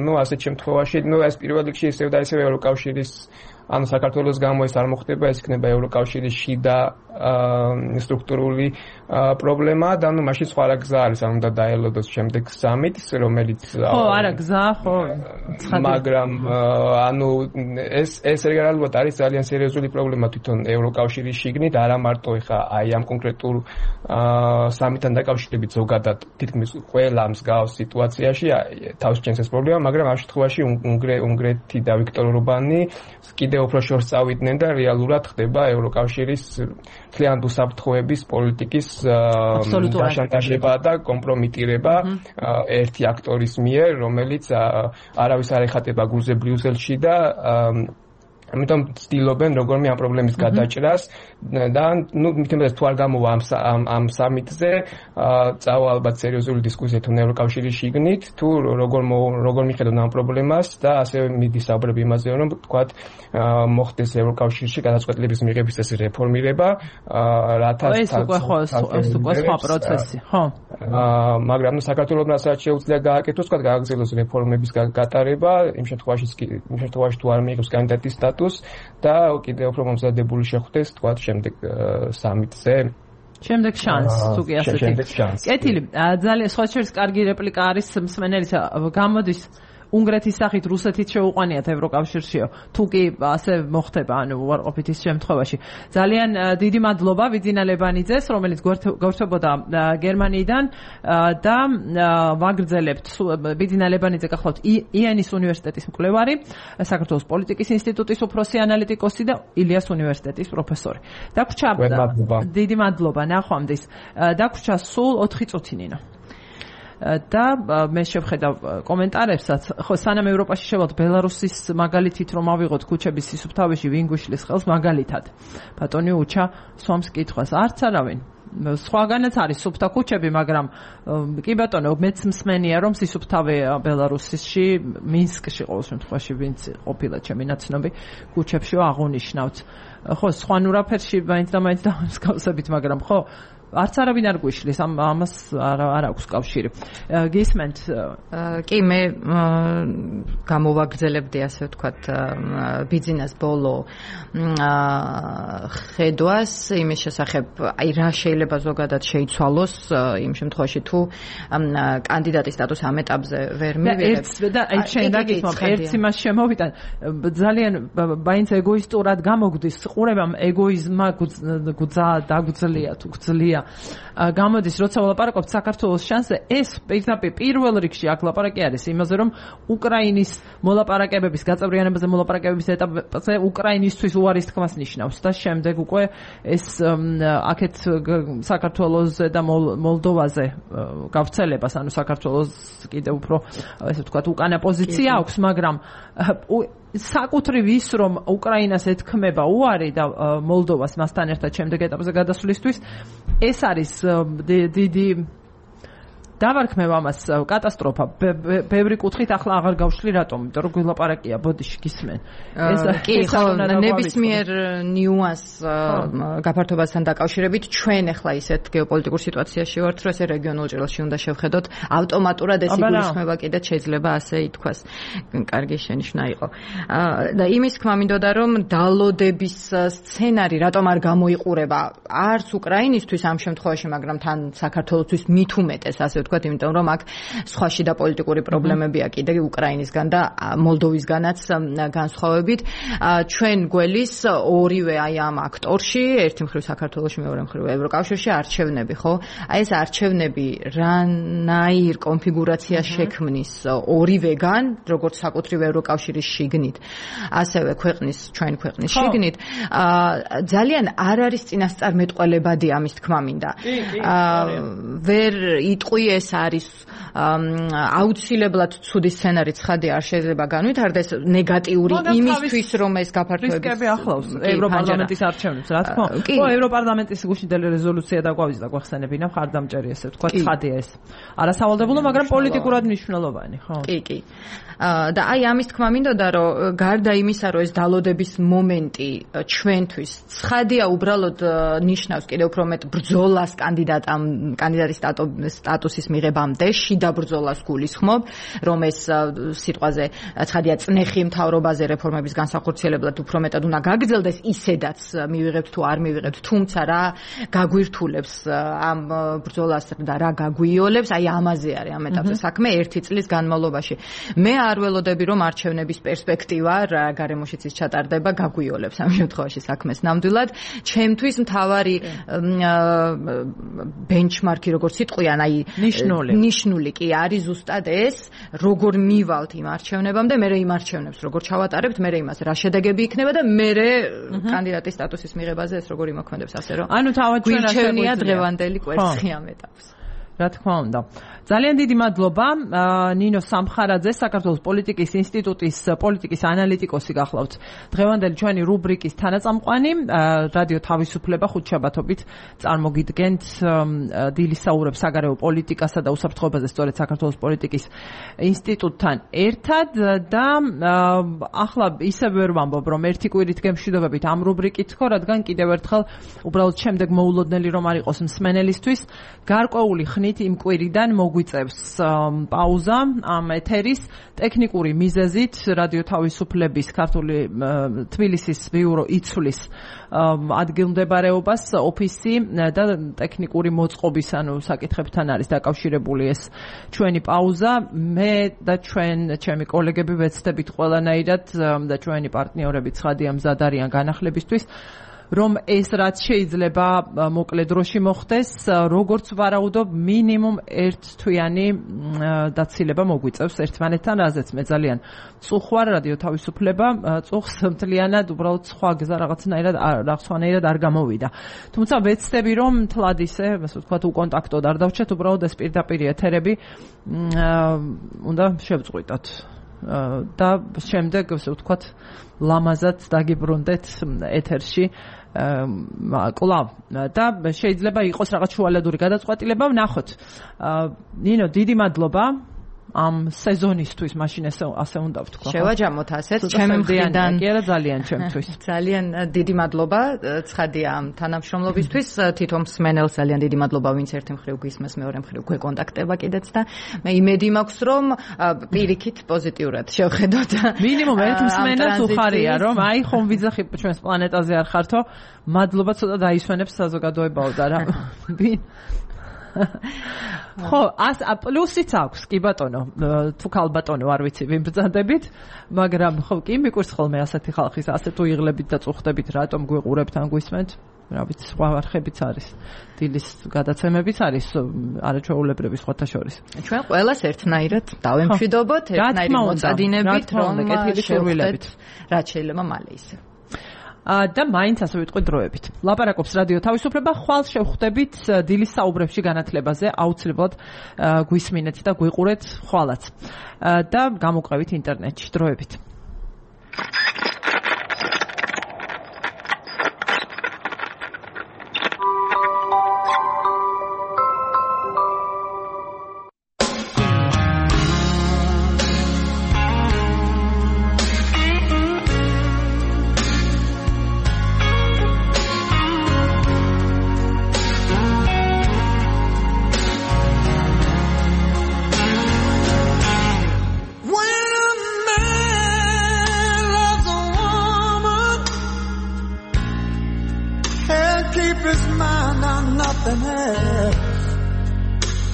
ნუ ასეთ შემთხვევაში, ნუ ეს პირველ რიგში ისევ და ისევ ევროკავშირის ანუ საქართველოს გამო ეს არ მოხდება, ეს იქნება ევროკავშირის შიდა სტრუქტურული პრობლემა და ნუ მაშინ სხვა რა გზა არის, ანუ უნდა დაელოდოს შემდეგ სამიტს, რომელიც არა გზა, ხო. მაგრამ ანუ ეს რეალურად არის ძალიან სერიოზული პრობლემა თვითონ ევროკავშირის შიგნით, არა მარტო ეხა აი ამ კონკრეტულ სამიტთან დაკავშირებით ზოგადად თითქმის ყველა მსგავს სიტუაციაში თავს ჭენს ეს პრობლემა, მაგრამ ამ შემთხვევაში უნგრეთი და ვიქტორ ორბანი კიდევ უფრო შორს წავიდნენ და რეალურად ხდება ევროკავშირის მთლიანი უსაფრთხოების პოლიტიკის შანტაჟება და კომპრომიტირება ერთი აქტორის მიერ, რომელიც არავის არ ეხატება გულზე ბრიუსელში და ამიტომ ცდილობენ როგორმე ამ პრობლემის გადაჭრას და ნუ მithemdas თუ არ გამოვა ამ სამიტზე წავა ალბათ სერიოზული დისკუსია თუნ ევროკავშირის შიგნით თუ როგორ მიხედონ ამ პრობლემას და ასევე მიდის საუბრები იმაზე რომ თქვათ მოხდეს ევროკავშირში გადაწყვეტილების მიღების წესის რეფორმირება რათა ეს უკვე სხვა პროცესი ხო მაგრამ საქართველოს რასაც შეუძლია გააკეთოს თქვათ გააგრძელოს რეფორმების გატარება იმ შემთხვევაში თუ არ მიიღოს კანდიდატის და კიდევ უფრო მომზადებული შეხვდეს თქვათ შემდეგ სამიტზე შემდეგ შანსს თუ კი ასეთი კეთილი ძალიან სხვა შორის კარგი რეპლიკა არის მსმენელისა გამოდის უნგრეთის სახით რუსეთით შეუყვანიათ ევროკავშირშიო თუ კი ასე მოხდება ანუ უარყოფითის შემთხვევაში ძალიან დიდი მადლობა ვიძინა ლებანიძეს რომელიც გვერდებოდა გერმანიიდან და ვაგრძელებთ ვიძინა ლებანიძე გახლავთ იანის უნივერსიტეტის მკვლევარი საქართველოს პოლიტიკის ინსტიტუტის უფროსი ანალიტიკოსი და ილიას უნივერსიტეტის პროფესორი დაგვრჩა დიდი მადლობა ნახვამდის დაგვრჩა სულ 4 წუთი ნინო და მე შევხედავ კომენტარებსაც ხო სანამ ევროპაში შევალთ ბელარუსის მაგალითით რომ ავიღოთ ქუჩების სისუფთავეში ვინ გუშლის ხელს მაგალითად ბატონი უჩა სვამს კითხვას არც არავინ სხვაგანაც არის სუფთა ქუჩები მაგრამ კი ბატონო მეც მსმენია რომ სისუფთავე ბელარუსში მინსკში ყოველ შემთხვევაში ვინც ყოფილა ჩემი ნაცნობი ქუჩებში აღუნიშნავთ ხო სხვანურაფერში მაინც და მსგავსებით მაგრამ ხო არც არავინ არ გვიშლის ამას არ აქვს კავშირი გისმენთ კი მე გამოვაგრძელებდი ასე ვთქვათ ბიძინას ბოლო ხედვას იმის შესახებ აი რა შეიძლება ზოგადად შეიცვალოს იმ შემთხვევაში თუ კანდიდატის სტატუსი ამ ეტაპზე ვერ მივიღებს და შენ დაგითმობ ერთს იმას შემოვიტან ძალიან მაინც ეგოისტურად გამოგვდის ყურებამ ეგოიზმა დაგძლია თუ გძლია გამოდის როცა ვლაპარაკობთ საქართველოს შანსზე ეს პირდაპირ პირველ რიგში აქ ლაპარაკი არის იმაზე რომ უკრაინის მოლაპარაკებების გაწევრიანებაზე მოლაპარაკებების ეტაპზე უკრაინისთვის უარის თქმას ნიშნავს და შემდეგ უკვე ეს აქეთ საქართველოსზე და მოლდოვაზე გავრცელებას ანუ საქართველოს კიდევ უფრო ესე ვთქვათ უკანა პოზიცია აქვს მაგრამ საკუთრივ ის რომ უკრაინას ეთქმება უარი და მოლდოვას მასთან ერთად შემდეგ ეტაპზე გადასვლისთვის ეს არის დიდი დავარქმევ ამას კატასტროფა ბევრი კუთხით ახლა აღარ გავშლი რატომ იმიტომ რომ გულაპარაკია ბოდიში გისმენ კი ხო ნებისმიერ ნიუანს გაფართოვებასთან დაკავშირებით ჩვენ ახლა ისეთ გეოპოლიტიკურ სიტუაციაში ვართ რომ ესე რეგიონულ ჭრილში უნდა შევხედოთ ავტომატურად ეს იგულისხმება კიდეც შეიძლება ასე ითქვას კარგი შენიშვნა იყო და იმის თქმა მინდოდა რომ დალოდების სცენარი რატომ არ გამოიყურება არც უკრაინისთვის ამ შემთხვევაში მაგრამ თან საქართველოსთვის მით უმეტეს ასე ვთქვათ, იმიტომ რომ აქ სხვა შიდა პოლიტიკური პრობლემებია კიდე უკრაინისგან და მოლდოვისგანაც განსხვავებით. ჩვენ გველის ორივე აი ამ აქტორში, ერთი მხრივ საქართველოში, მეორე მხრივ ევროკავშირში არჩევნები, ხო? აი ეს არჩევნები რანაირ კონფიგურაციას შექმნის ორივეგან, როგორც საკუთრივ ევროკავშირის შიგნით, ასევე ჩვენი ქვეყნის შიგნით, ძალიან არ არის წინასწარმეტყველებადი ამის თქმა მინდა. ვერ იტყვი ეს არის აუცილებლად ცუდი სცენარი ცხადი არ შეიძლება განვითარდეს ნეგატიური იმისთვის რომ ეს გაფართოების რისკები ახლავს ევროპარლამენტის არჩევნებს რა თქმა უნდა. ხო, ევროპარლამენტის გუშინდელი რეზოლუცია დაგვავიზდა გვახსენებინა მხარდამჭერი ესე ვთქვათ ცხადია ეს. არასავალდებულო, მაგრამ პოლიტიკურად მნიშვნელოვანი, ხო? კი. და აი ამის თქმა მინდოდა რომ გარდა იმისა რომ ეს დალოდების მომენტი ჩვენთვის ცხადია უბრალოდ ნიშნავს კიდევ უფრო მეტ ბრძოლას კანდიდატის სტატუსის მიღებამდე, შიდა ბრძოლას გულისხმობ, რომ ეს სიტყვაზე ცხადია წნეხი მთავრობაზე რეფორმების განსახორციელებლად უფრო მეტად უნდა გაგრძელდეს, ისედაც მივიღებთ თუ არ მივიღებთ, თუმცა რა გაგვირთულებს ამ ბრძოლას და რა გაგვიოლებს, აი ამაზე არის ამ ეტაპზე საქმე 1 წლის განმავლობაში. მე არ ველოდები რომ არჩევნების პერსპექტივა რა გარემოშიც ის ჩატარდება გაგვიოლებს ამ შემთხვევაში საქმეს ნამდვილად. ჩემთვის მთავარი ბენჩმარკი როგორც სიტყვიან, აი ნიშნული კი არის ზუსტად ეს, როგორ მივალთ იმ არჩევნებამდე, მე იმ არჩევნებს როგორ ჩავატარებთ, მე იმას რა შედეგები იქნება და მე კანდიდატის სტატუსის მიღებაზე ეს როგორ იმოქმედებს, ასე რომ ანუ თავად ჩვენ რა შეგვიძლია დღევანდელი კვერცხი ამ ეტაპს. რა თქმა უნდა. ძალიან დიდი მადლობა ნინო სამხარაძე, საქართველოს პოლიტიკის ინსტიტუტის პოლიტიკის ანალიტიკოსი გახლავთ. დღევანდელი ჩვენი რუბრიკის თანაწამყვანი, რადიო თავისუფლება ხუთშაბათობით წარმოგიდგენთ დილის საუბრებს საგარეო პოლიტიკასა და უსაფრთხოებაზე სწორედ საქართველოს პოლიტიკის ინსტიტუტთან ერთად და ახლა ისევ ვერ ვამბობ, რომ ერთი კვირით გემშვიდობებით ამ რუბრიკით ხო, რადგან კიდევ ერთხელ უბრალოდ შემდეგ მოულოდნელი რომ არ იყოს მსმენელისთვის, გარკვეული ხნით იმ კვირიდან გვიწევს პაუზა ამ ეთერის ტექნიკური მიზეზით რადიო თავისუფლების ქართული თბილისის ბიურო იცვლის ადგილმდებარეობას ოფისი და ტექნიკური მოწყობის ანუ საკითხებთან არის დაკავშირებული ეს ჩვენი პაუზა. მე და ჩემი კოლეგები ვეცდებით ყველანაირად და ჩვენი პარტნიორები ცხადია მზად არიან განახლებისთვის რომ ეს რაც შეიძლება მოკლე დროში მოხდეს, როგორც ვარაუდობ, მინიმუმ ერთ თვიანი დაცილება მოგვიწევს ერთმანეთთან, რაზეც მე ძალიან წუხვარ რადიო თავისუფლება, წუხს მთლიანად უბრალოდ სხვა გზა რაღაცნაირად არ გამოვიდა. თუმცა ვეცდები რომ თლად ისე, ასე ვთქვათ, უკონტაქტოდ არ დავჭეთ, უბრალოდ ეს პირდაპირ ეთერები უნდა შევწყვიტოთ. და შემდეგ, ასე ვთქვათ, ლამაზად დაგიბრუნდეთ ეთერში კლავ და შეიძლება იყოს რაღაც შუალედური გადაწყვეტილება, ვნახოთ. ნინო, დიდი მადლობა ამ სეზონისთვის, მაშინ ასე უნდა ვთქვა. შევაჯამოთ ასეც ჩემი მხრიდან. კი არა, ძალიან ჩემთვის. ძალიან დიდი მადლობა ცხადია ამ თანამშრომლობისთვის. თვითონ მსმენელს ძალიან დიდი მადლობა, ვინც ერთი მხრივ გვისმენს, მეორე მხრივ გვეკონტაქტება კიდეც და მე იმედი მაქვს, რომ პირიქით პოზიტიურად შევხედოთ. მინიმუმ ერთ მსმენელს უხარია, რომ აი ხომ ვიძახი ჩვენს პლანეტაზე არ ხართო. მადლობა ცოტა დაისვენებს საზოგადოებაო და რა. ხო, პლუსიც აქვს, კი ბატონო, თუ ქალბატონო არ ვიცი, ვინ ბრძანდებით, მაგრამ ხო, კი მიყურს ხოლმე ასეთი ხალხის, ასე თუ იღლებით და წუხდებით, რატომ გვიყურებთ ან გვისმენთ, რა ვიცი, სხვა არხებიც არის, დილის გადაცემებიც არის, არაჩვეულებრივი სხვათა შორის. ჩვენ ყველას ერთნაირად დავემშვიდობოთ, ერთნაირი მოწადინებით, რომ შევხვდეთ, რაც შეიძლება მალე ისე. და მაინც ასე ვიტყვი დროებით. ლაპარაკობს რადიო თავისუფლება, ხვალ შევხვდებით დილის საუბრებში განათლებაზე, აუცილებლად გვისმინეთ და გვიყურეთ ხვალაც. და გამოყევით ინტერნეტში დროებით.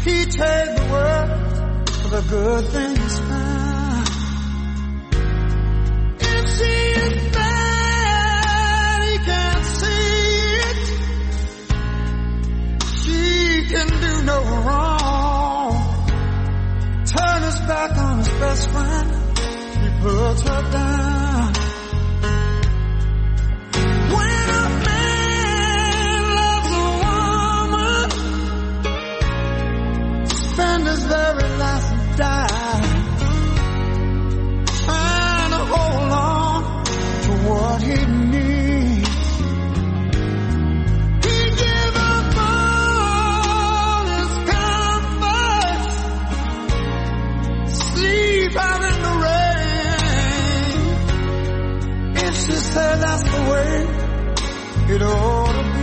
He trade the world for the good things found. If she is bad, he can't see it. She can do no wrong. Turn his back on his best friend. He puts her down. When a man loves a woman, spend his very last and die, trying to hold on to what he needs. He give up all his comforts, sleep out in the rain. If she said that's the way it ought to be,